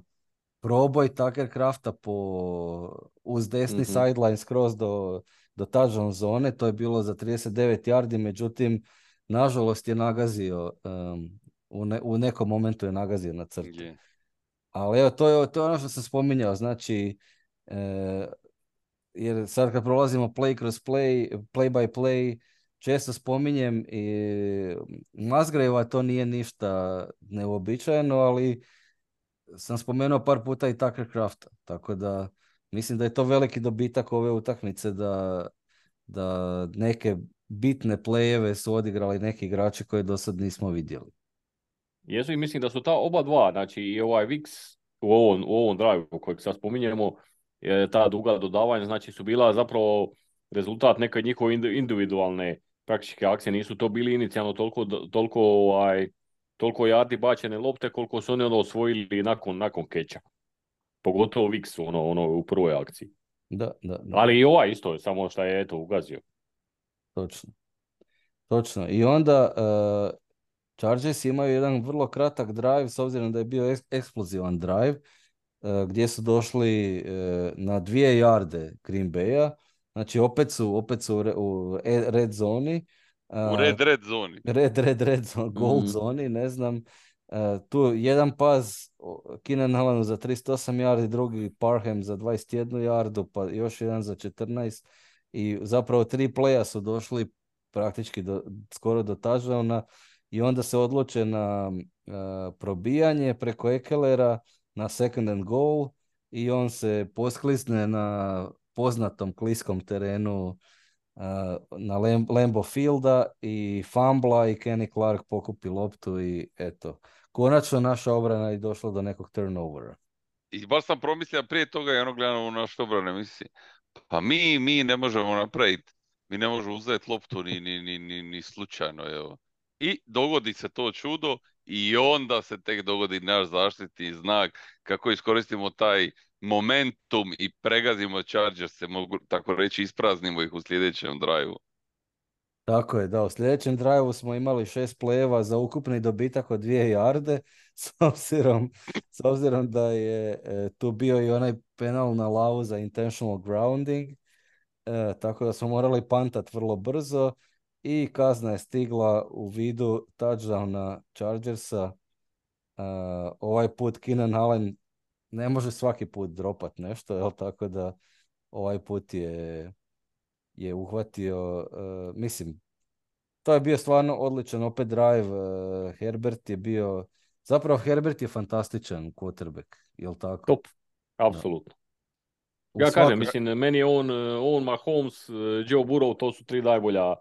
proboj Tucker Crafta po, uz desni Mhm. sideline skroz do, do touchdown zone, to je bilo za trideset devet yardi, međutim, nažalost je nagazio, um, u, ne, u nekom momentu je nagazio na crtu. Je. Ali evo, to je, to je ono što sam spominjao, znači, e, jer sad kad prolazimo play kroz play, play by play, često spominjem i Musgrave to nije ništa neuobičajeno, ali sam spomenuo par puta i Tucker Crafta, tako da mislim da je to veliki dobitak ove utakmice, da, da neke bitne playeve su odigrali neki igrači koje do sad nismo vidjeli. Jesu i mislim da su ta oba dva, znači i ovaj Viks u ovom, u ovom drive kojeg sad spominjemo, je ta duga dodavanja, znači su bila zapravo rezultat neke njihove indi- individualne praktičke akcije, nisu to bili inicijalno toliko, toliko, ovaj, toliko jardi bačene lopte koliko su oni ono osvojili nakon, nakon keča. Pogotovo Viks ono, ono u prvoj akciji. Da, da, da, Ali i ovaj isto, samo što je eto ugazio. točno. Točno. I onda uh, Chargers imaju jedan vrlo kratak drive, s obzirom da je bio eks- eksplozivan drive, uh, gdje su došli uh, na dvije jarde Green Bay-a. Znači opet su, opet su u, re- u e- red zoni. Uh, U red, red zoni. red, red, red zone, gold Mm. zoni, ne znam. Uh, tu jedan pas o, Keenan Allenu za trideset osam yardi, drugi Parham za dvadeset jednu yardu, pa još jedan za četrnaest. I zapravo tri playa su došli praktički do, skoro do touchdowna, i onda se odluče na uh, probijanje preko Ekelera na second and goal, i on se posklisne na poznatom kliskom terenu uh, na Lam- Lambeau Fielda i fumbla, i Kenny Clark pokupi loptu i eto, konačno naša obrana je došla do nekog turnovera. I baš sam promislio prije toga i ono gledano u naš obrane, misli, pa mi, mi ne možemo napraviti, mi ne možemo uzeti loptu ni, ni, ni, ni, ni slučajno, evo. I dogodi se to čudo i onda se tek dogodi naš zaštitni znak kako iskoristimo taj momentum i pregazimo Chargers, se mogu tako reći, ispraznimo ih u sljedećem drive-u. Tako je, da, u sljedećem drive smo imali šest plejeva za ukupni dobitak od dvije jarde, s obzirom, s obzirom da je e, tu bio i onaj penal na lavu za intentional grounding, e, tako da smo morali pantat vrlo brzo, i kazna je stigla u vidu touchdowna Chargersa. E, ovaj put Keenan Allen ne može svaki put dropat nešto, jel, tako da ovaj put je, je uhvatio, e, mislim, to je bio stvarno odličan opet drive. Uh, Herbert je bio, zapravo Herbert je fantastičan quarterback, jel tako? Top, Da. apsolutno. U Ja kažem, svakoj, mislim, meni je on, on Mahomes, Joe Burrow, to su tri najbolja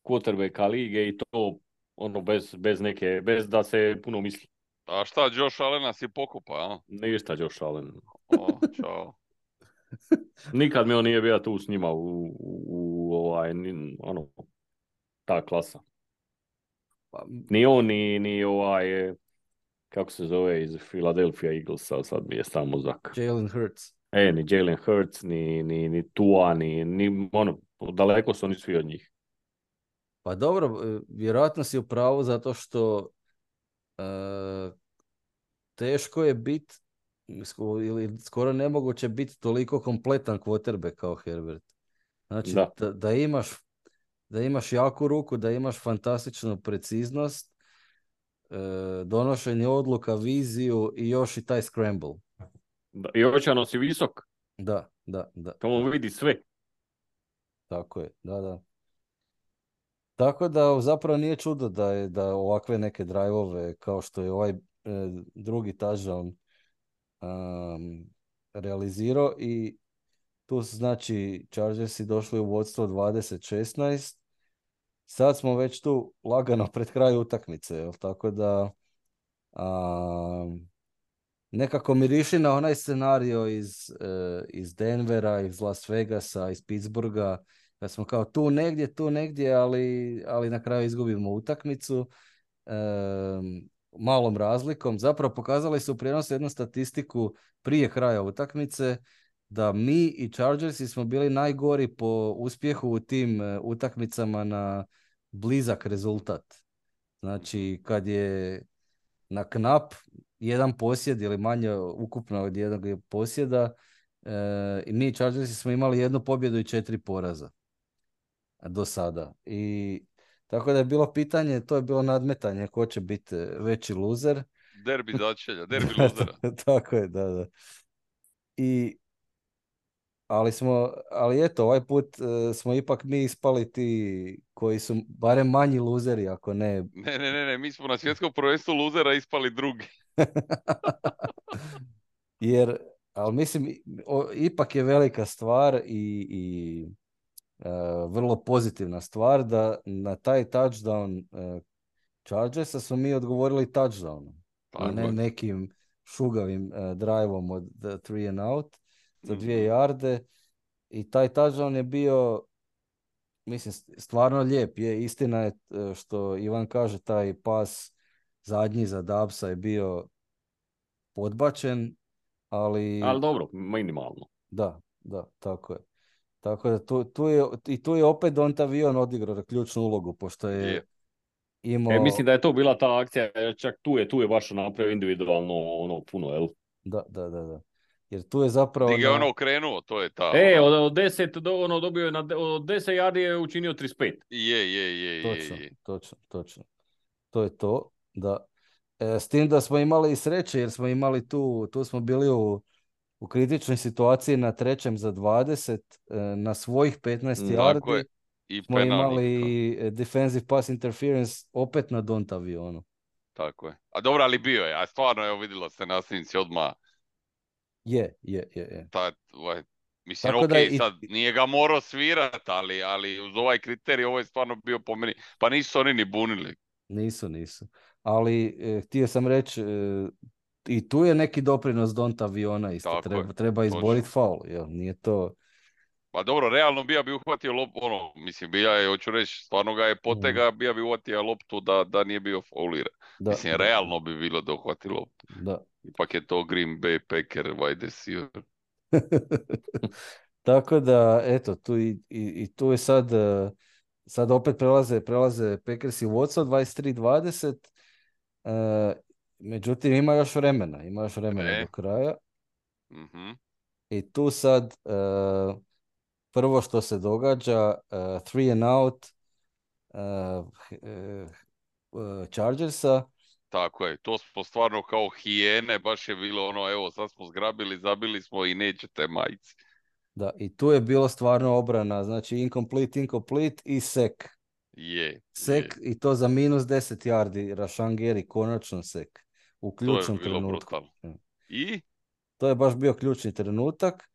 quarterbacka lige i to ono bez, bez neke, bez da se puno misli. A šta, Josh Allena si pokupa, a? Ništa Josh Allen. O, čao. Nikad mi on nije bio tu s njima u, u, u ovaj, ni, ono, ta klasa. pa, Ni on, ni, ni ovaj, eh, kako se zove iz Philadelphia Eaglesa, sad mi je samo mozak. Jalen Hurts. E, ni Jalen Hurts, ni, ni, ni Tua, ni, ni, ono, daleko su oni svi od njih. Pa dobro, e, vjerojatno si u pravu, zato što e, teško je biti, ili skoro nemoguće biti toliko kompletan quarterback kao Herbert. Znači, Da. da, da imaš da imaš jaku ruku, da imaš fantastičnu preciznost, e, donošenje odluka, viziju i još i taj scramble. Da. I očano si visok, Da, da, da, to da. on vidi sve. Tako je, da, da. Tako da zapravo nije čudo da je da ovakve neke drive-ove kao što je ovaj e, drugi touchdown um, realizirao, i tu su znači Chargersi došli u vodstvo dvadeset šesnaest, sad smo već tu lagano pred kraj utakmice, jel? Tako da a, nekako miriši na onaj scenario iz, e, iz Denvera, iz Las Vegasa, iz Pittsburgha, da smo kao tu negdje, tu negdje, ali, ali na kraju izgubimo utakmicu e, malom razlikom. Zapravo pokazali su u prijenosu jednu statistiku prije kraja utakmice, da mi i Chargersi smo bili najgori po uspjehu u tim e, utakmicama na blizak rezultat. Znači, kad je na knap jedan posjed ili manje ukupno od jednog posjeda, e, i mi Chargersi smo imali jednu pobjedu i četiri poraza do sada. I tako da je bilo pitanje, to je bilo nadmetanje ko će biti veći luzer. Derbi začelja, derbi luzera. Tako je, da, da. I ali smo, ali eto, ovaj put uh, smo ipak mi ispali ti koji su barem manji luzeri, ako ne... Ne, ne, ne, ne, mi smo na svjetskom prvenstvu luzera ispali drugi. Jer, ali mislim, o, ipak je velika stvar i, i uh, vrlo pozitivna stvar da na taj touchdown uh, Chargersa smo mi odgovorili touchdownom, a ne je. nekim šugavim uh, driveom od the three and out za dvije Mhm. jarde. I taj touchdown je bio, mislim, stvarno lijep. Je, istina je e, što Ivan kaže, taj pas zadnji za Dabsa je bio podbačen, ali... Ali dobro, minimalno. Da, da, tako je. Tako da tu, tu je, i tu je opet Dontavion odigrao ključnu ulogu, pošto je Je. imao... E, mislim da je to bila ta akcija, čak tu je, tu je baš napravio individualno ono puno, jel? Da, da, da, da. Jer tu je zapravo... Di ga je na- ono okrenuo, to je ta. E, ona- od, od deset do, ono dobio je na, de- od deset yardi je učinio trideset pet. Je, je, je, je, Točno, je. točno, točno. To je to, da. E, s tim da smo imali i sreće, jer smo imali tu, tu smo bili u, u kritičnoj situaciji na trećem za dvadeset, e, na svojih petnaest Mm, Tako je. yardi I smo penal imali nikakav. e, defensive pass interference opet na Dontavionu. Tako je. A dobro, ali bio je. A stvarno, evo vidjelo se na snimci odmah. Je, je, je, je. Ta, ovaj, mislim, Tako ok, da i- sad nije ga morao svirat, ali, ali uz ovaj kriterij ovo je stvarno bio po meni. Pa nisu oni ni bunili. Nisu, nisu. Ali e, htio sam reći, e, i tu je neki doprinos Dontaviona isto. Tako Treba, je, treba točno. izboriti faul, jel? Nije to... Pa dobro, realno bija bi uhvatio loptu, ono, mislim, bija je, hoću reći, stvarno ga je potega, bija bi uhvatio loptu da, da nije bio fauliran. Da, Mislim, da, realno bi bilo da uhvati loptu. da. Ipak je to Green Bay Packer wide receiver. Tako da, eto, tu i, i, i tu je sad, eh, sad opet prelaze, prelaze Packers i vodstvo dvadeset tri dvadeset, eh, međutim ima još vremena, ima još vremena E. do kraja Mhm. i tu sad eh, prvo što se događa, eh, three and out eh, eh, Chargersa. Tako je, to smo stvarno kao hijene, baš je bilo ono, evo, sad smo zgrabili, zabili smo i nećete majci. Da, i tu je bilo stvarno obrana, znači incomplete, incomplete i sek. Je, Sek je. i to za minus deset yardi, Rashan Gary, konačno sek. U To je ključnom bilo trenutku. brutalno. I? To je baš bio ključni trenutak,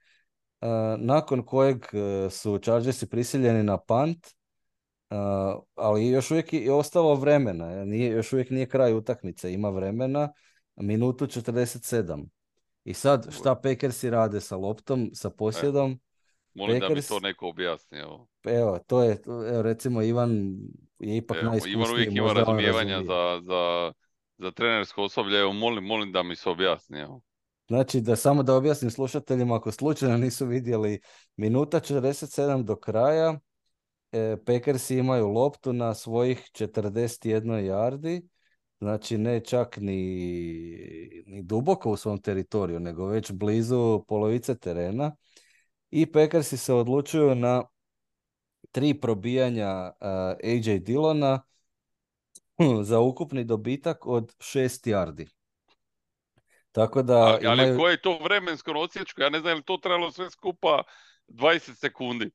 uh, nakon kojeg uh, su Chargersi prisiljeni na punt, uh, ali još uvijek je ostalo vremena. Nije, još uvijek nije kraj utakmice, ima vremena, minutu četrdeset sedam. I sad šta Packersi rade sa loptom, sa posjedom? Molim da mi Packers- to neko objasni, evo. Evo, to je, evo, recimo Ivan je ipak Evo, najiskusniji. Ivan uvijek ima možda on razumijevanja razumije. za, za, za trenersko osoblje, evo, molim, molim da mi se objasni, evo. Znači, da samo da objasnim slušateljima, ako slučajno nisu vidjeli, minuta četrdeset sedam do kraja, e, Packersi imaju loptu na svojih četrdeset jedan yardi, znači ne čak ni, ni duboko u svom teritoriju, nego već blizu polovice terena. I Packersi se odlučuju na tri probijanja uh, A J Dillona za ukupni dobitak od šest yardi. Tako da A, ali imaju... koje je to vremensko odsječko? Ja ne znam je li to trebalo sve skupa dvadeset sekundi.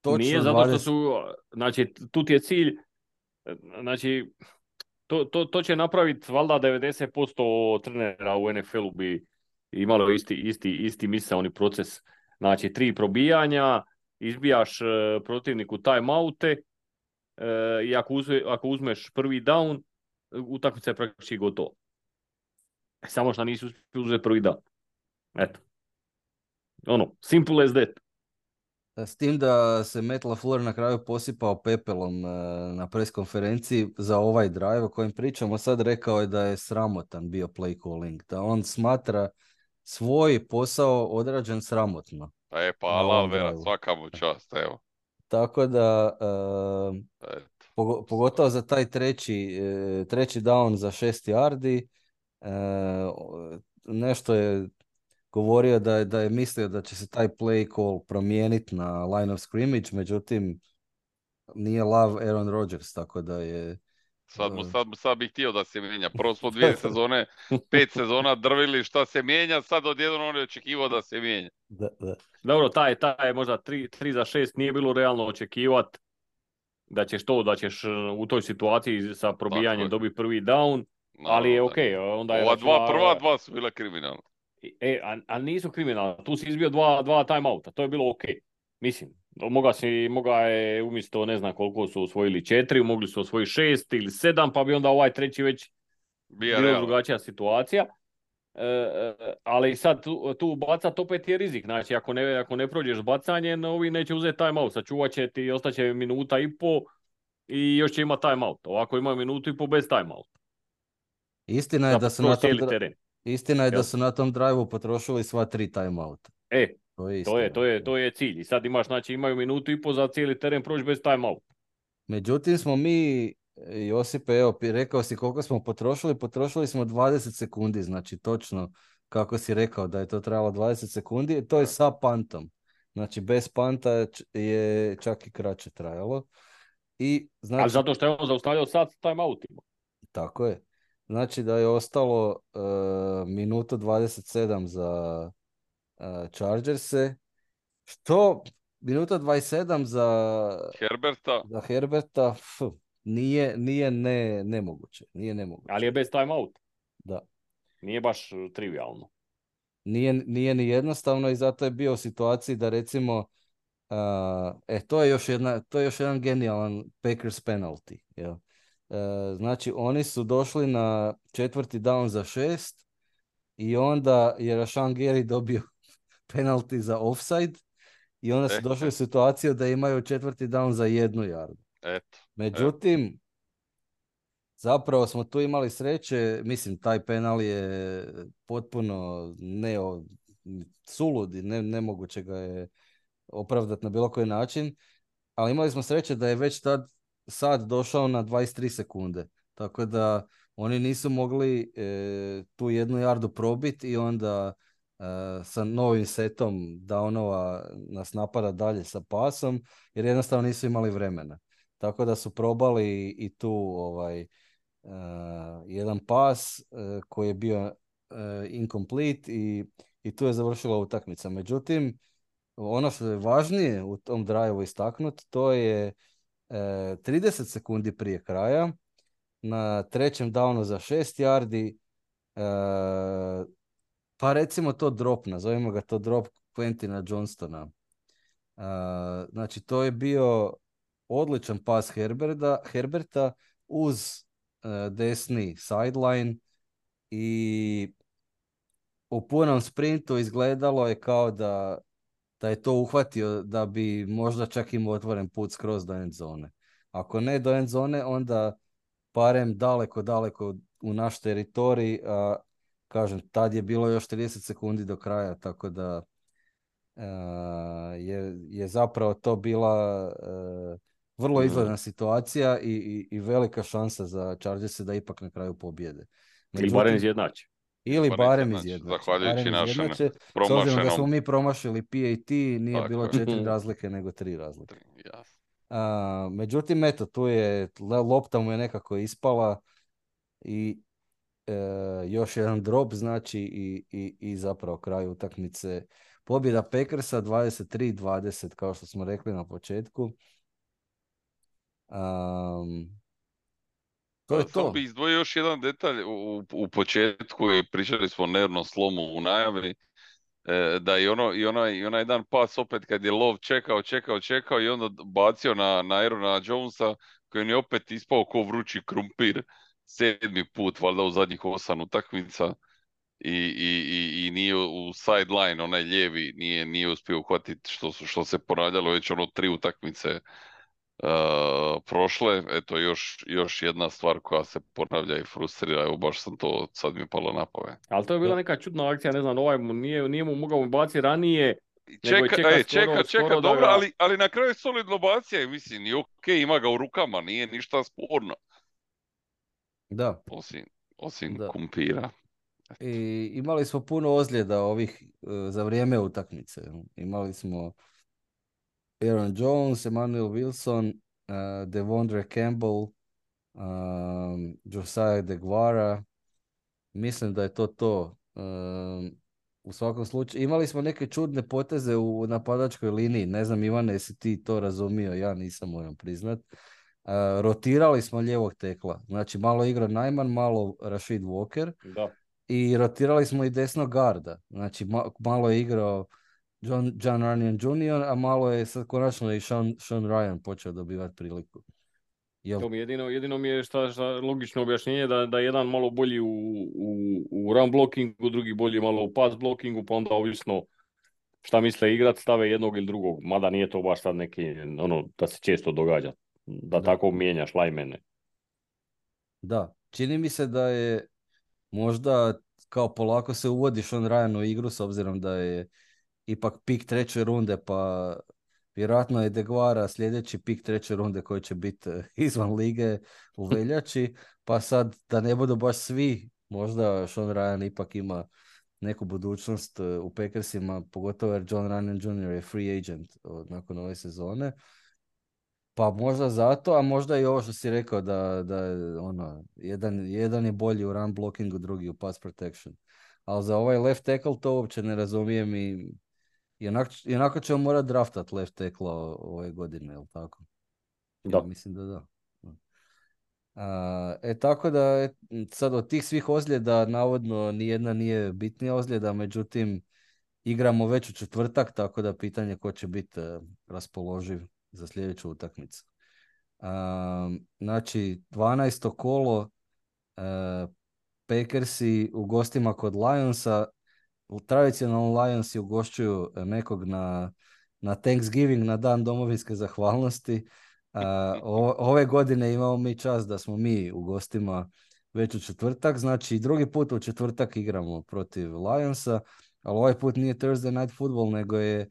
Točno Nije zato što dvadeset su, znači, tu ti je cilj, znači, to, to, to će napraviti valjda devedeset posto trenera u N F L-u bi imalo isti, isti, isti misaoni proces. Znači, tri probijanja, izbijaš uh, protivniku timeoute e, i ako, uzme, ako uzmeš prvi down, utakmica je praktički gotova. Samo što nisu uspjeli uzeti prvi down. Eto. Ono, simple as that. S tim da se Matt LaFleur na kraju posipao pepelom e, na pres konferenciji za ovaj drive o kojem pričamo sad, rekao je da je sramotan bio play calling, da on smatra svoj posao odrađen sramotno. E pa na alal ovom vera, drive-u. svaka mu čast, evo. Tako da, e, Eto. pogo- pogotovo za taj treći, e, treći down za šest yardi, e, o- nešto je govorio da je, da je mislio da će se taj play call promijeniti na line of scrimmage, međutim nije lav Aaron Rodgers, tako da je... Sad, mu, uh, sad, sad bih htio da se mijenja. Prvo smo dvije sezone, pet sezona drvili šta se mijenja, sad odjednom on je očekivao da se mijenja. da, da. Dobro, taj, taj možda tri za šest nije bilo realno očekivati da ćeš to, da ćeš uh, u toj situaciji sa probijanjem dobiti prvi down, ali je Naravno, ok. da. Onda je Ova dva, računa- prva dva su bila kriminalna. E, a, a nisu kriminalni. Tu si izbio dva, dva timeouta. To je bilo ok. Mislim, moga, si, moga je umjesto ne znam koliko su osvojili četiri, mogli su osvojiti šest ili sedam, pa bi onda ovaj treći već Bija bila realno. drugačija situacija. E, e, ali sad tu, tu bacat opet je rizik. Znači, ako ne, ako ne prođeš bacanjem, ovi neće uzeti timeout. Sačuvat će ti, ostaće minuta i po i još će imati timeout. Ovako imaju minutu i po bez timeouta. Istina je da Za su na proći tom, cijeli dra- teren. istina je da Jel? su na tom drive-u potrošili sva tri timeouta. E, To je to je, istina. to je, to je cilj. I sad imaš, znači imaju minutu i po za cijeli teren proći bez timeout. Međutim smo mi, Josipe, evo, pi- rekao si koliko smo potrošili, potrošili smo dvadeset sekundi, znači točno kako si rekao da je to trebalo dvadeset sekundi, to je sa pantom. Znači bez panta je č- je čak i kraće trajalo. I znači, Ali zato što je on zaustavljao sad s timeoutima. tako je. Znači da je ostalo uh, minutu dvadeset sedam za uh, Chargerse, što minuta dvadeset sedam za, Herberta, za Herberta, f, nije, nije ne, nemoguće. Nije nemoguće. Ali je bez timeouta. Da. Nije baš uh, trivialno. Nije, nije ni jednostavno i zato je bio u situaciji da recimo uh, e, to je još jedna, to je još jedan genijalan Packers penalty. Jel? Uh, znači oni su došli na četvrti down za šest i onda je Rashan Gary dobio penalty za offside i onda su E. došli u situaciju da imaju četvrti down za jednu jardu. eto. Međutim, zapravo smo tu imali sreće, mislim, taj penal je potpuno ne, sulud i ne, nemoguće ga je opravdati na bilo koji način, ali imali smo sreće da je već tad sad došao na dvadeset tri sekunde, tako da oni nisu mogli e, tu jednu jardu probiti i onda e, sa novim setom downova nas napada dalje sa pasom, jer jednostavno nisu imali vremena. Tako da su probali i tu ovaj Uh, jedan pas uh, koji je bio uh, incomplete i, i tu je završila utakmica. Međutim, ono što je važnije u tom drive-u istaknuti, to je uh, trideset sekundi prije kraja na trećem downu za šest yardi, uh, pa recimo to drop, nazovimo ga to drop Quentina Johnstona. Uh, znači to je bio odličan pas Herberta, Herberta uz desni sideline i u punom sprintu izgledalo je kao da, da je to uhvatio da bi možda čak imao otvoren put skroz do end zone. Ako ne do end zone, onda barem daleko, daleko u naš teritorij, a kažem, tad je bilo još trideset sekundi do kraja, tako da uh, je, je zapravo to bila uh, vrlo izgledna situacija i, i, i velika šansa za Chargerse da ipak na kraju pobjede. Ili barem izjednači. Ili barem barem izjednače, izjednače. zahvaljujući Barem našem izjednače. S obzirom da smo promašenom. mi promašili P A T, nije Tako bilo je. četiri razlike, nego tri razlike. Jasno. A, međutim, eto, tu je, le- lopta mu je nekako ispala i e, još jedan drop, znači, i, i, i zapravo kraj utakmice. Pobjeda Packersa dvadeset tri dvadeset, kao što smo rekli na početku. Um, to je Samo to. bih izdvojio još jedan detalj u, u početku i pričali smo o nervnom slomu u najavi, e, da i, ono, i, onaj, i onaj jedan pas opet kad je lov čekao, čekao, čekao i onda bacio na, na Aarona Jonesa, koji je opet ispao ko vrući krumpir sedmi put, valjda u zadnjih osam utakmica. I, i, i, i nije u sideline, onaj lijevi, nije, nije uspio uhvatiti što, su- što se ponavljalo već ono tri utakmice uh, prošle. Eto, još, još jedna stvar koja se ponavlja i frustrira, evo baš sam to, sad mi je palo na pamet. Ali to je bila neka čudna akcija, ne znam, ovaj mu nije, nije mu mogao baciti ranije, nego je Čeka, čeka e, skoro, čeka, čeka, skoro da dobro, ga... ali, ali na kraju je solidno bacija i mislim, i ok, ima ga u rukama, nije ništa sporno, Da, osim, osim da. kumpira. I imali smo puno ozljeda ovih e, za vrijeme utakmice. Imali smo Aaron Jones, Emmanuel Wilson, uh, Devondre Campbell, um, Josiah DeGuara. Mislim da je to to. Um, u svakom slučaju, imali smo neke čudne poteze u napadačkoj liniji. Ne znam, Ivane, jesi ti to razumio? Ja nisam, moram priznat. Uh, rotirali smo lijevog tekla. Znači, malo igra Najman, malo Rashid Walker. Da. I rotirali smo i desnog garda. Znači, ma- malo je igrao John, John Runyon junior, a malo je sad konačno i Sean, Sean Ryan počeo dobivati priliku. Jel? To mi jedino, jedino mi je šta, šta logično objašnjenje da, da je jedan malo bolji u, u, u run blockingu, drugi bolji malo u pass blockingu, pa onda ovisno šta misle igrat, stave jednog ili drugog. Mada nije to baš sad neki, ono, da se često događa. Da, Da. tako mijenjaš lajmene. Da, čini mi se da je možda kao polako se uvodi Sean Ryan u igru s obzirom da je ipak pik treće runde, pa vjerojatno je DeGuara sljedeći pik treće runde koji će biti eh, izvan lige u veljači, pa sad da ne budu baš svi, možda Sean Ryan ipak ima neku budućnost eh, u Packersima, pogotovo jer John Runyon junior je free agent od, nakon ove sezone. Pa možda zato, a možda i ovo što si rekao da, da je, ono, jedan, jedan je bolji u run blockingu, drugi u pass protection. Ali za ovaj left tackle to uopće ne razumijem i i onako, i onako ćemo morati draftat left tackle ove godine, jel tako? Ja Da. mislim da da. A, e tako da je, sad od tih svih ozljeda navodno nijedna nije bitnija ozljeda, međutim igramo već u četvrtak, tako da pitanje ko će biti uh, raspoloživ za sljedeću utakmicu. A, znači dvanaesto kolo, uh, Packersi u gostima kod Lionsa. Tradicionalno Lionsi ugošćuju nekog na, na Thanksgiving, na dan domovinske zahvalnosti. A, o, ove godine imamo mi čast da smo mi u gostima već u četvrtak, znači drugi put u četvrtak igramo protiv Lionsa, ali ovaj put nije Thursday Night Football, nego je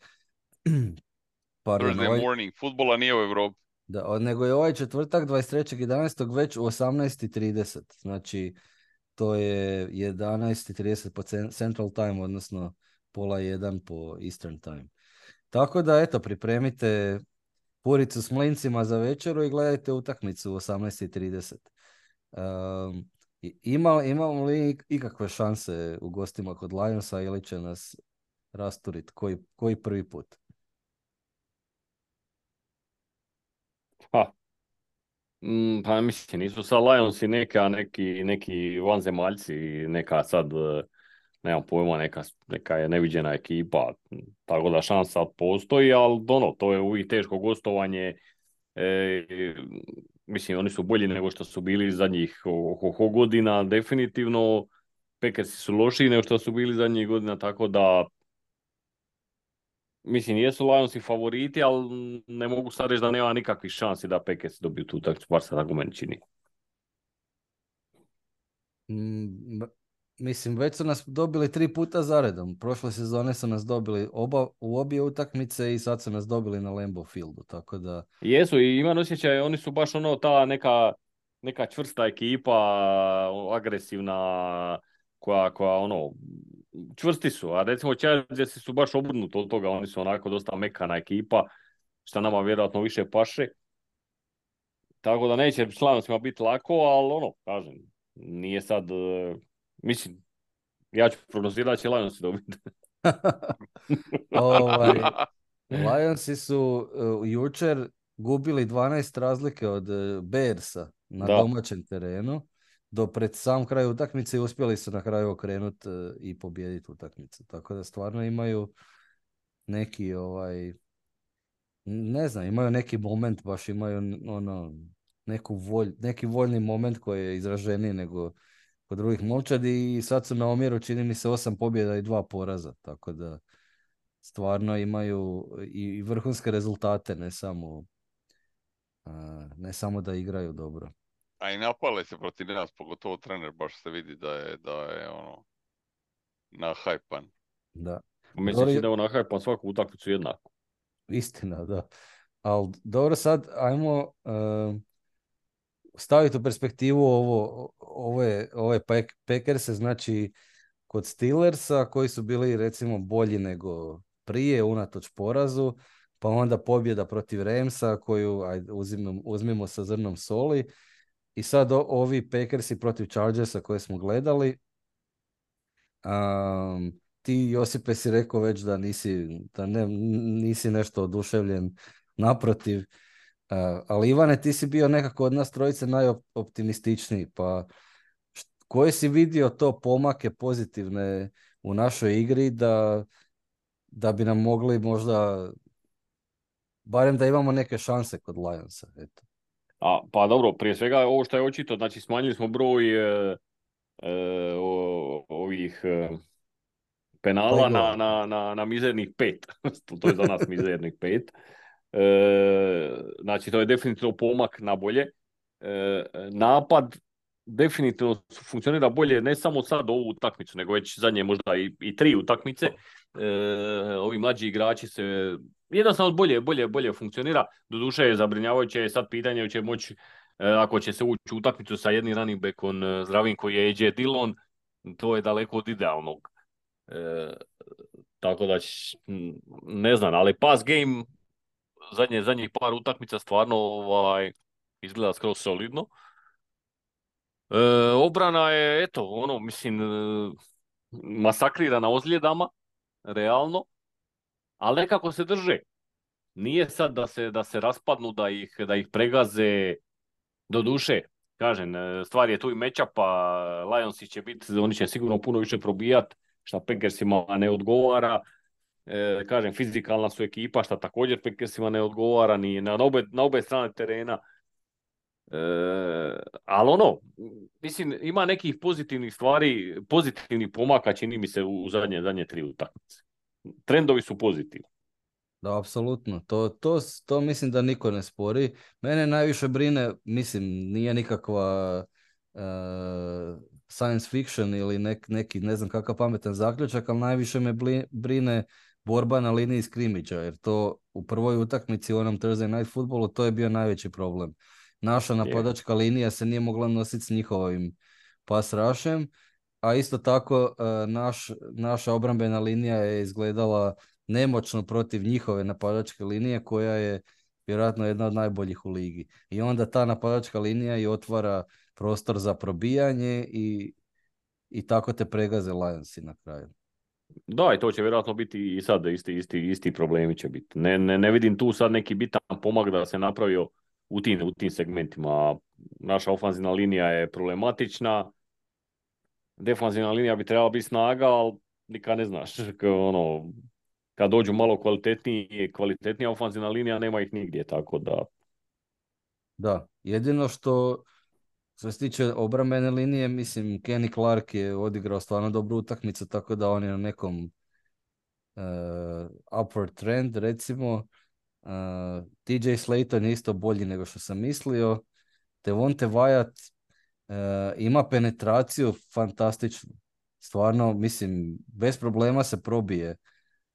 pardon, Thursday ovaj, morning, futbola nije u Europi. da, nego je ovaj četvrtak dvadeset trećeg jedanaestog već u osamnaest i trideset, znači to je jedanaest i trideset po Central Time, odnosno pola jedan po Eastern Time. Tako da, eto, pripremite puricu s mlincima za večeru i gledajte utakmicu u osamnaest i trideset. Um, ima, imamo li ikakve šanse u gostima kod Lionsa ili će nas rasturiti koji, koji prvi put? Ha. Mm, pa mislim, nisu sad Lionsi neka, neki, neki vanzemaljci, neka sad, eh, nemam pojma, neka, neka je neviđena ekipa, tako da šansa postoji, ali ono, to je uvijek teško gostovanje. E, mislim, oni su bolji nego što su bili zadnjih ho, ho godina, definitivno. Packersi su lošiji nego što su bili zadnjih godina, tako da mislim, jesu Lionsi favoriti, ali ne mogu sad reći da nema nikakvih šansi da Packers dobiju tu utakmicu, bar se tako meni čini. Mm, mislim, već su nas dobili tri puta zaredom. Prošle sezone su nas dobili oba, u obje utakmice i sad su nas dobili na Lambeau Fieldu, tako da... Jesu i imam osjećaj, oni su baš ono ta neka, neka čvrsta ekipa, agresivna, koja, koja ono, čvrsti su, a recimo Chargersi su baš obrnuto od toga, oni su onako dosta mekana ekipa, što nama vjerojatno više paše. Tako da neće s Lionsima biti lako, ali ono, kažem, nije sad, uh, mislim, ja ću prognozirati da će Lionsi dobiti. ovaj, Lionsi su uh, jučer gubili dvanaest razlike od uh, Bearsa na Da. domaćem terenu. Do pred sam kraj utakmice i uspjeli su na kraju okrenuti uh, i pobijediti utakmicu. Tako da stvarno imaju neki ovaj ne znam, imaju neki moment, baš imaju ono neku volj, neki voljni moment koji je izraženiji nego kod drugih momčadi i sad su na omjeru čini mi se osam pobjeda i dva poraza, tako da stvarno imaju i, i vrhunske rezultate, ne samo, a, ne samo da igraju dobro. A i napale se protiv nas, pogotovo trener baš se vidi da je, da je ono, nahajpan. Da. Mislim Dobro, da je on nahajpan svaku utakmicu jednako. istina, da. Ali dobro, sad ajmo uh, staviti u perspektivu ovo, ove, ove Pack- Packerse, znači kod Steelersa koji su bili recimo bolji nego prije unatoč porazu, pa onda pobjeda protiv Ramsa koju ajde, uzimamo, uzmimo sa zrnom soli i sad o, ovi Packersi protiv Chargersa koje smo gledali. Um, ti Josipe si rekao već da nisi, da ne, nisi nešto oduševljen, naprotiv. Uh, ali Ivane, ti si bio nekako od nas trojice najoptimističniji, pa št- koje si vidio to pomake pozitivne u našoj igri da, da bi nam mogli možda, barem da imamo neke šanse kod Lionsa, eto. A, pa dobro, prije svega ovo što je očito, znači smanjili smo broj e, e, o- ovih e, penala na, Flagrova. na, na, na mizernih pet. To to je za nas mizernih pet. E, znači to je definitivno pomak na bolje. E, napad definitivno funkcionira bolje ne samo sad ovu utakmicu, nego već zadnje možda i, i tri utakmice. E, ovi mlađi igrači se jednostavno bolje, bolje, bolje funkcionira. Doduše je zabrinjavajuće je sad pitanje hoće moći e, ako će se ući u utakmicu sa jednim running backom e, zdravim koji je A J Dillon, to je daleko od idealnog. E, tako da ć- m, ne znam, ali pass game zadnje, zadnjih par utakmica stvarno ovaj, izgleda skroz solidno. E, obrana je, eto, ono, mislim, e, masakrirana ozljedama, realno, ali nekako se drže. Nije sad da se, da se raspadnu, da ih, da ih pregaze do duše. Kažem, e, stvar je tu i matchupa, Lionsi će biti, oni će sigurno puno više probijat, šta Packersima ne odgovara. E, kažem, fizikalna su ekipa, šta također Packersima ne odgovara, ni na obe, na obe strane terena. E, ali ono, mislim, ima nekih pozitivnih stvari, pozitivnih pomaka, čini mi se, u zadnje, zadnje tri utakmice. Trendovi su pozitivni. Da, apsolutno. To, to, s- to mislim da niko ne spori. Mene najviše brine, mislim, nije nikakva uh, science fiction ili nek, neki, ne znam kakav pametan zaključak, ali najviše me bli- brine borba na liniji skrimidža, jer to u prvoj utakmici u onom Thursday Night Footballu to je bio najveći problem. Naša Je. napadačka linija se nije mogla nositi s njihovim pass rushem, a isto tako uh, naš, naša obrambena linija je izgledala nemoćno protiv njihove napadačke linije koja je vjerojatno jedna od najboljih u ligi. I onda ta napadačka linija i otvara prostor za probijanje i, i tako te pregaze Lionsi na kraju. Da, i to će vjerojatno biti i sad isti, isti, isti problemi će biti. Ne, ne, ne vidim tu sad neki bitan pomak da se napravio u tim, u tim segmentima. Naša ofanzivna linija je problematična, defanzivna linija bi trebala biti snaga, ali nikad ne znaš. Kao ono, kad dođu malo kvalitetniji, kvalitetnija ofanzivna linija, nema ih nigdje, tako da... Da, jedino što što se tiče obrambene linije, mislim, Kenny Clark je odigrao stvarno dobru utakmicu, tako da on je na nekom uh, upward trend, recimo. Uh, T J Slayton je isto bolji nego što sam mislio. Devonte Wyatt uh, ima penetraciju fantastičnu. Stvarno, mislim, bez problema se probije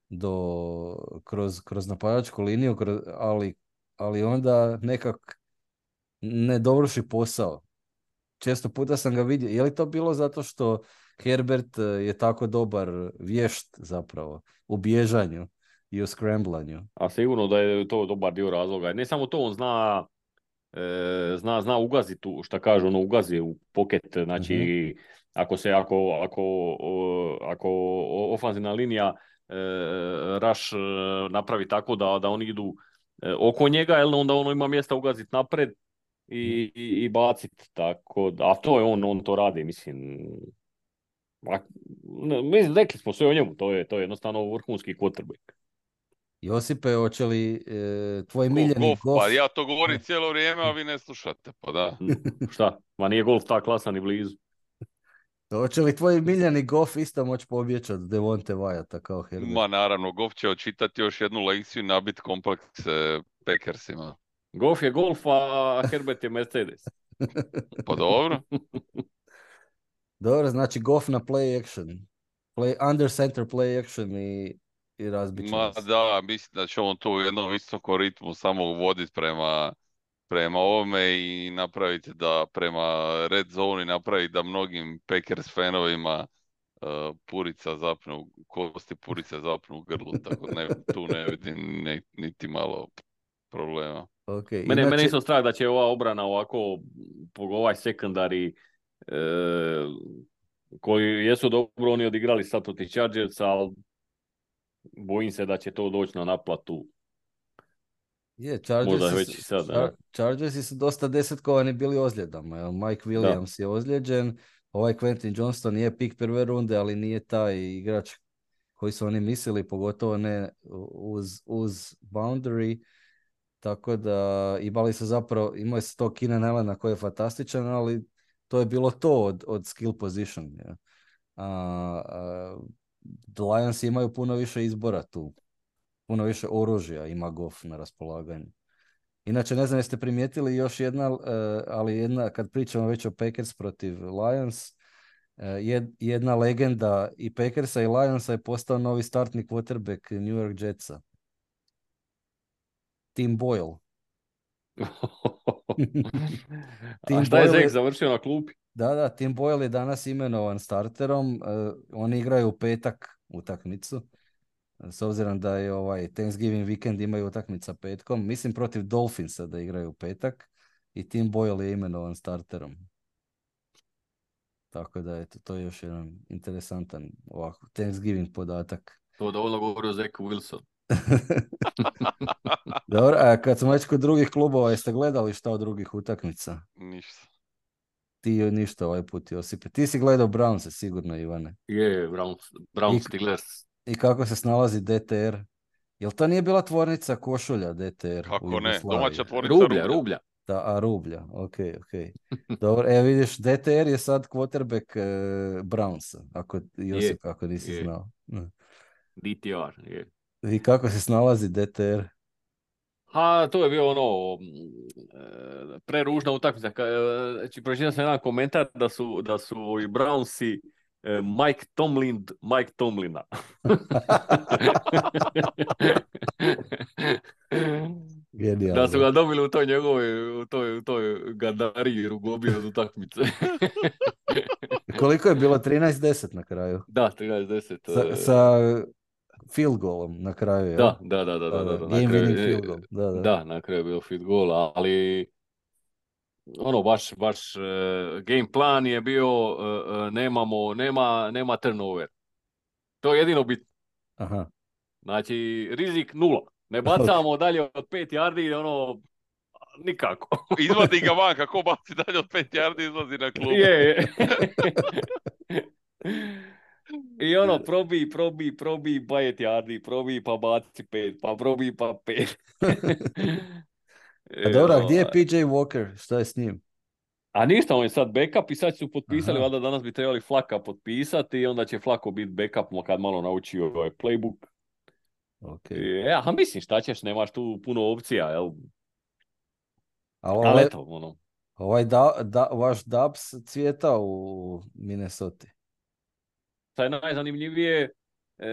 do, kroz, kroz napadačku liniju, kroz, ali, ali onda nekak ne dovrši posao. Često puta sam ga vidio. Je li to bilo zato što Herbert eh, je tako dobar vješt zapravo u bježanju i u scramblanju? A sigurno da je to dobar dio razloga. Ne samo to, on zna, e, zna, zna ugaziti, tu, šta kažu, ono ugazi u poket. Znači, Mhm. ako se, ako, ako, o- ako o- ofanzivna linija e, Rush e, napravi tako da, da oni idu e, oko njega, jel, onda ono ima mjesta ugaziti napred i, i, i baciti. Tako da, a to je on, on to radi, mislim. A, ne, mislim, rekli smo sve o njemu, to je, to je jednostavno vrhunski quarterback. Josipe, hoće li e, tvoj Ko, miljeni golf, golf... pa ja to govorim cijelo vrijeme, a vi ne slušate, pa da. Šta? Ma nije golf ta klasa ni blizu. Hoće li tvoj miljeni golf isto moći pobjeći od Devonte Wyata kao Herbert? Ma naravno, golf će očitati još jednu lekciju i nabit komplekse Packersima. Golf je golf, a Herbert je Mercedes. Pa dobro. Dobro, znači golf na play action. Play, under center play action i, i razbit će Ma nas. da, mislim da će on to u jednom visokom ritmu samo uvoditi prema, prema ovome i napraviti da prema red zone napravi da mnogim Packers fanovima uh, purica zapnu, kosti purice zapnu u grlu, tako ne, tu ne vidim ne, niti malo problema. Okay. Mene, Inače... mene isto strah da će ova obrana ovako, ovaj sekundari e, koji jesu dobro oni odigrali sad protiv Chargersa, ali bojim se da će to doći na naplatu. Je, Chargersi, već i sad, Char- Chargersi su dosta desetkovani bili ozljedama. Jel? Mike Williams da. je ozlijeđen, ovaj Quentin Johnston je pik prve runde, ali nije taj igrač koji su oni mislili, pogotovo ne uz, uz boundary. Tako da imali su zapravo, imali su to Keenan Allena koji je fantastičan, ali to je bilo to od, od skill position. Ja. A, a, The Lions imaju puno više izbora tu. Puno više oružja ima Goff na raspolaganju. Inače, ne znam jeste primijetili još jedna, uh, ali jedna, kad pričamo već o Packers protiv Lions, uh, jed, jedna legenda i Packersa i Lionsa je postao novi startni quarterback New York Jetsa. Tim Boyle. Tim A šta je Zek završio na klupi? Da, da, Tim Boyle je danas imenovan starterom. Uh, oni igraju u petak utakmicu. S obzirom da je ovaj Thanksgiving weekend imaju utakmica petkom. Mislim protiv Dolphinsa da igraju u petak. I Tim Boyle je imenovan starterom. Tako da eto, to je još jedan interesantan ovako Thanksgiving podatak. To dovoljno govori o Zeku Wilson. Dobro, a kad smo već kod drugih klubova, jeste gledali šta od drugih utakmica? Ništa. Ti ništa ovaj put, Josipe. Ti si gledao Brownse sigurno, Ivane. Je, Browns, Browns Steelers. I kako se snalazi D T R? Jel to nije bila tvornica košulja D T R? Kako ne, domaća tvornica rublja. Rublja. rublja. Da, a rublja, ok, ok. Dobro, evo vidiš, D T R je sad quarterback e, Brownsa, ako, Josip, je, ako nisi je. znao. D T R, je. I kako se snalazi D T R? Ha, to je bio ono, preružna utakmica. Znači, pročitao sam jedan komentar da su, da su i Brownsi Mike Tomlin, Mike Tomlina. Genijalno. Da su ga dobili u toj njegovoj, u toj, u toj gadariji rugobio od utakmice. Koliko je bilo? trinaest deset na kraju? Da, trinaest deset. Sa, sa field goalom na kraju, je? Da, da, da, da, da, da, da. Game winning field goal. Da, da. Da, na kraju je bio field goal, ali ono, baš, baš uh, game plan je bio, uh, uh, nemamo, nema, nema turnover. To je jedino bitno. Aha. Znači, rizik nula. Ne bacamo dalje od pet yardi, ono, nikako. Izvadi ga van, kako baci dalje od pet yardi, izlazi na klub. Je, je. I ono, probi, probi, probi, pet yardi, probi, pa baci pet, pa probi, pa pet. A dobro, a gdje je P J Walker? Šta je s njim? A ništa, on je sad backup i sad su potpisali, Aha. valjda danas bi trebali Flaka potpisati i onda će Flako biti backup kad malo nauči ovaj playbook. Okay. Ja, a mislim, šta ćeš, nemaš tu puno opcija, jel? Ali ovaj, eto, ono. Ovaj da, da, vaš Dubs cvjeta u Minnesota. Šta je najzanimljivije, e,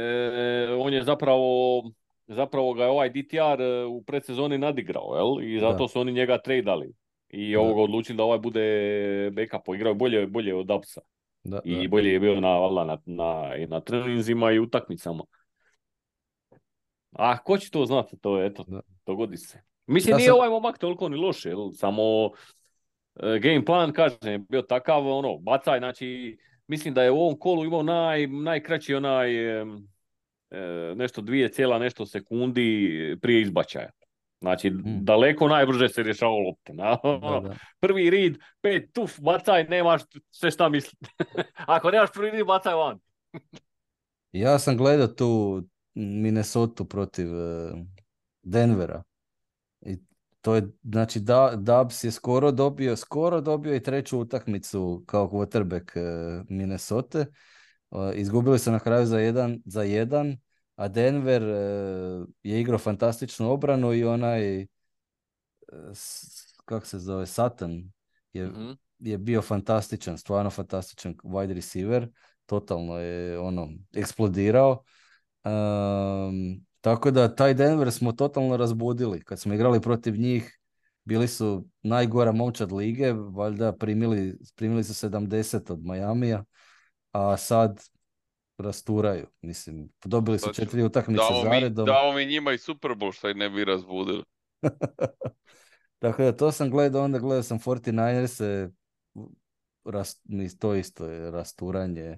on je zapravo, zapravo ga je ovaj D T R u predsezoni nadigrao, jel? I zato da. su oni njega tradali. I da. ovoga odlučili da ovaj bude backup, igrao bolje, bolje od Dubsa. Da, I da. bolje je bio na, na, na, na treninzima i utakmicama. A ko će to znati, to je, eto, da. dogodi se. Mislim, ja nije sam... ovaj momak toliko ni loš, jel? Samo uh, game plan, kažem, je bio takav, ono, bacaj, znači, mislim da je u ovom kolu imao naj, najkraći onaj, um, uh, nešto dvije cijela nešto sekundi prije izbačaja. Znači, hmm. daleko najbrže se rješavao lopte. Na, da, da. Prvi read, pet, tuf, bacaj, nemaš sve šta misliti. Ako nemaš prvi read, bacaj van. Ja sam gledao tu Minnesota protiv uh, Denvera. I to je, znači, da, Dubs je skoro dobio, skoro dobio i treću utakmicu kao quarterback uh, Minnesota. Uh, izgubili su na kraju za jedan, za jedan, a Denver uh, je igrao fantastičnu obranu i onaj, uh, kako se zove, Sutton je, Mhm. je bio fantastičan, stvarno fantastičan wide receiver, totalno je ono eksplodirao. Um, tako da taj Denver smo totalno razbudili. Kad smo igrali protiv njih, bili su najgora momčad lige, valjda primili, primili su sedamdeset od Majamija, a sad rasturaju. Mislim, dobili su Sad ću- četiri utakmice Damo mi, zaredom. damo mi njima i Super Bowl što ih ne bi razbudili. Tako da to sam gledao, onda gledao sam četrnaestero ras, ni- to isto je rasturanje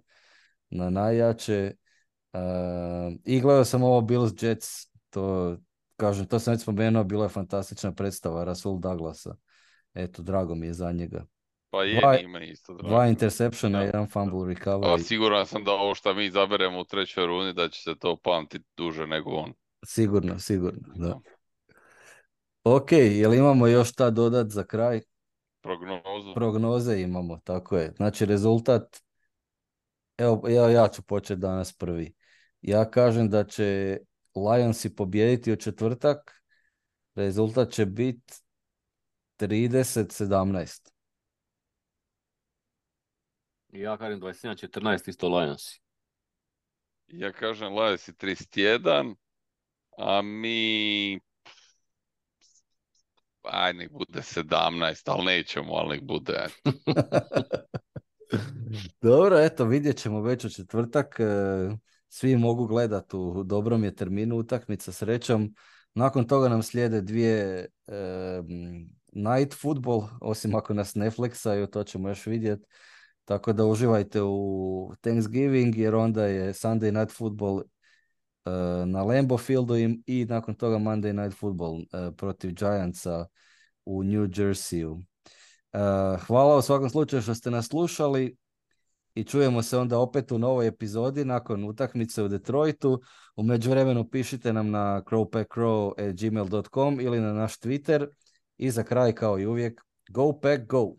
na najjače. Uh, I gledao sam ovo Bills Jets, to kažem, to sam već spomenuo, bila je fantastična predstava Rasul Douglasa. Eto, drago mi je za njega. Pa je, Dva, nije me isto drago. dva interceptiona, Da. jedan fumble A recovery. siguran sam da ovo što mi izaberemo u trećoj rundi da će se to pamtiti duže nego on. Sigurno, sigurno, da. Da. Ok, jel imamo još šta dodat za kraj? Prognozu. Prognoze imamo, tako je. Znači, rezultat, evo, evo ja ću početi danas prvi. Ja kažem da će Lionsi pobijediti u četvrtak. Rezultat će biti trideset sedamnaest. Ja kažem dvadeset jedan četrnaest isto Lionsi. Ja kažem Lions i trideset jedan, a mi... Aj, nek bude sedamnaest, ali nećemo, ali nek bude. eto. Dobro, eto, vidjet ćemo već u četvrtak. e, Svi mogu gledati u dobrom je terminu utakmica, srećom. Nakon toga nam slijede dvije e, m, night football, osim ako nas Netflixa, i to ćemo još vidjeti. Tako da uživajte u Thanksgiving, jer onda je Sunday night football e, na Lambeau Fieldu i, i nakon toga Monday night football e, protiv Giantsa u New Jerseyu. E, hvala u svakom slučaju što ste nas slušali i čujemo se onda opet u novoj epizodi nakon utakmice u Detroitu. U međuvremenu pišite nam na crowpackcrow at gmail dot com ili na naš Twitter. I za kraj, kao i uvijek, go pack go!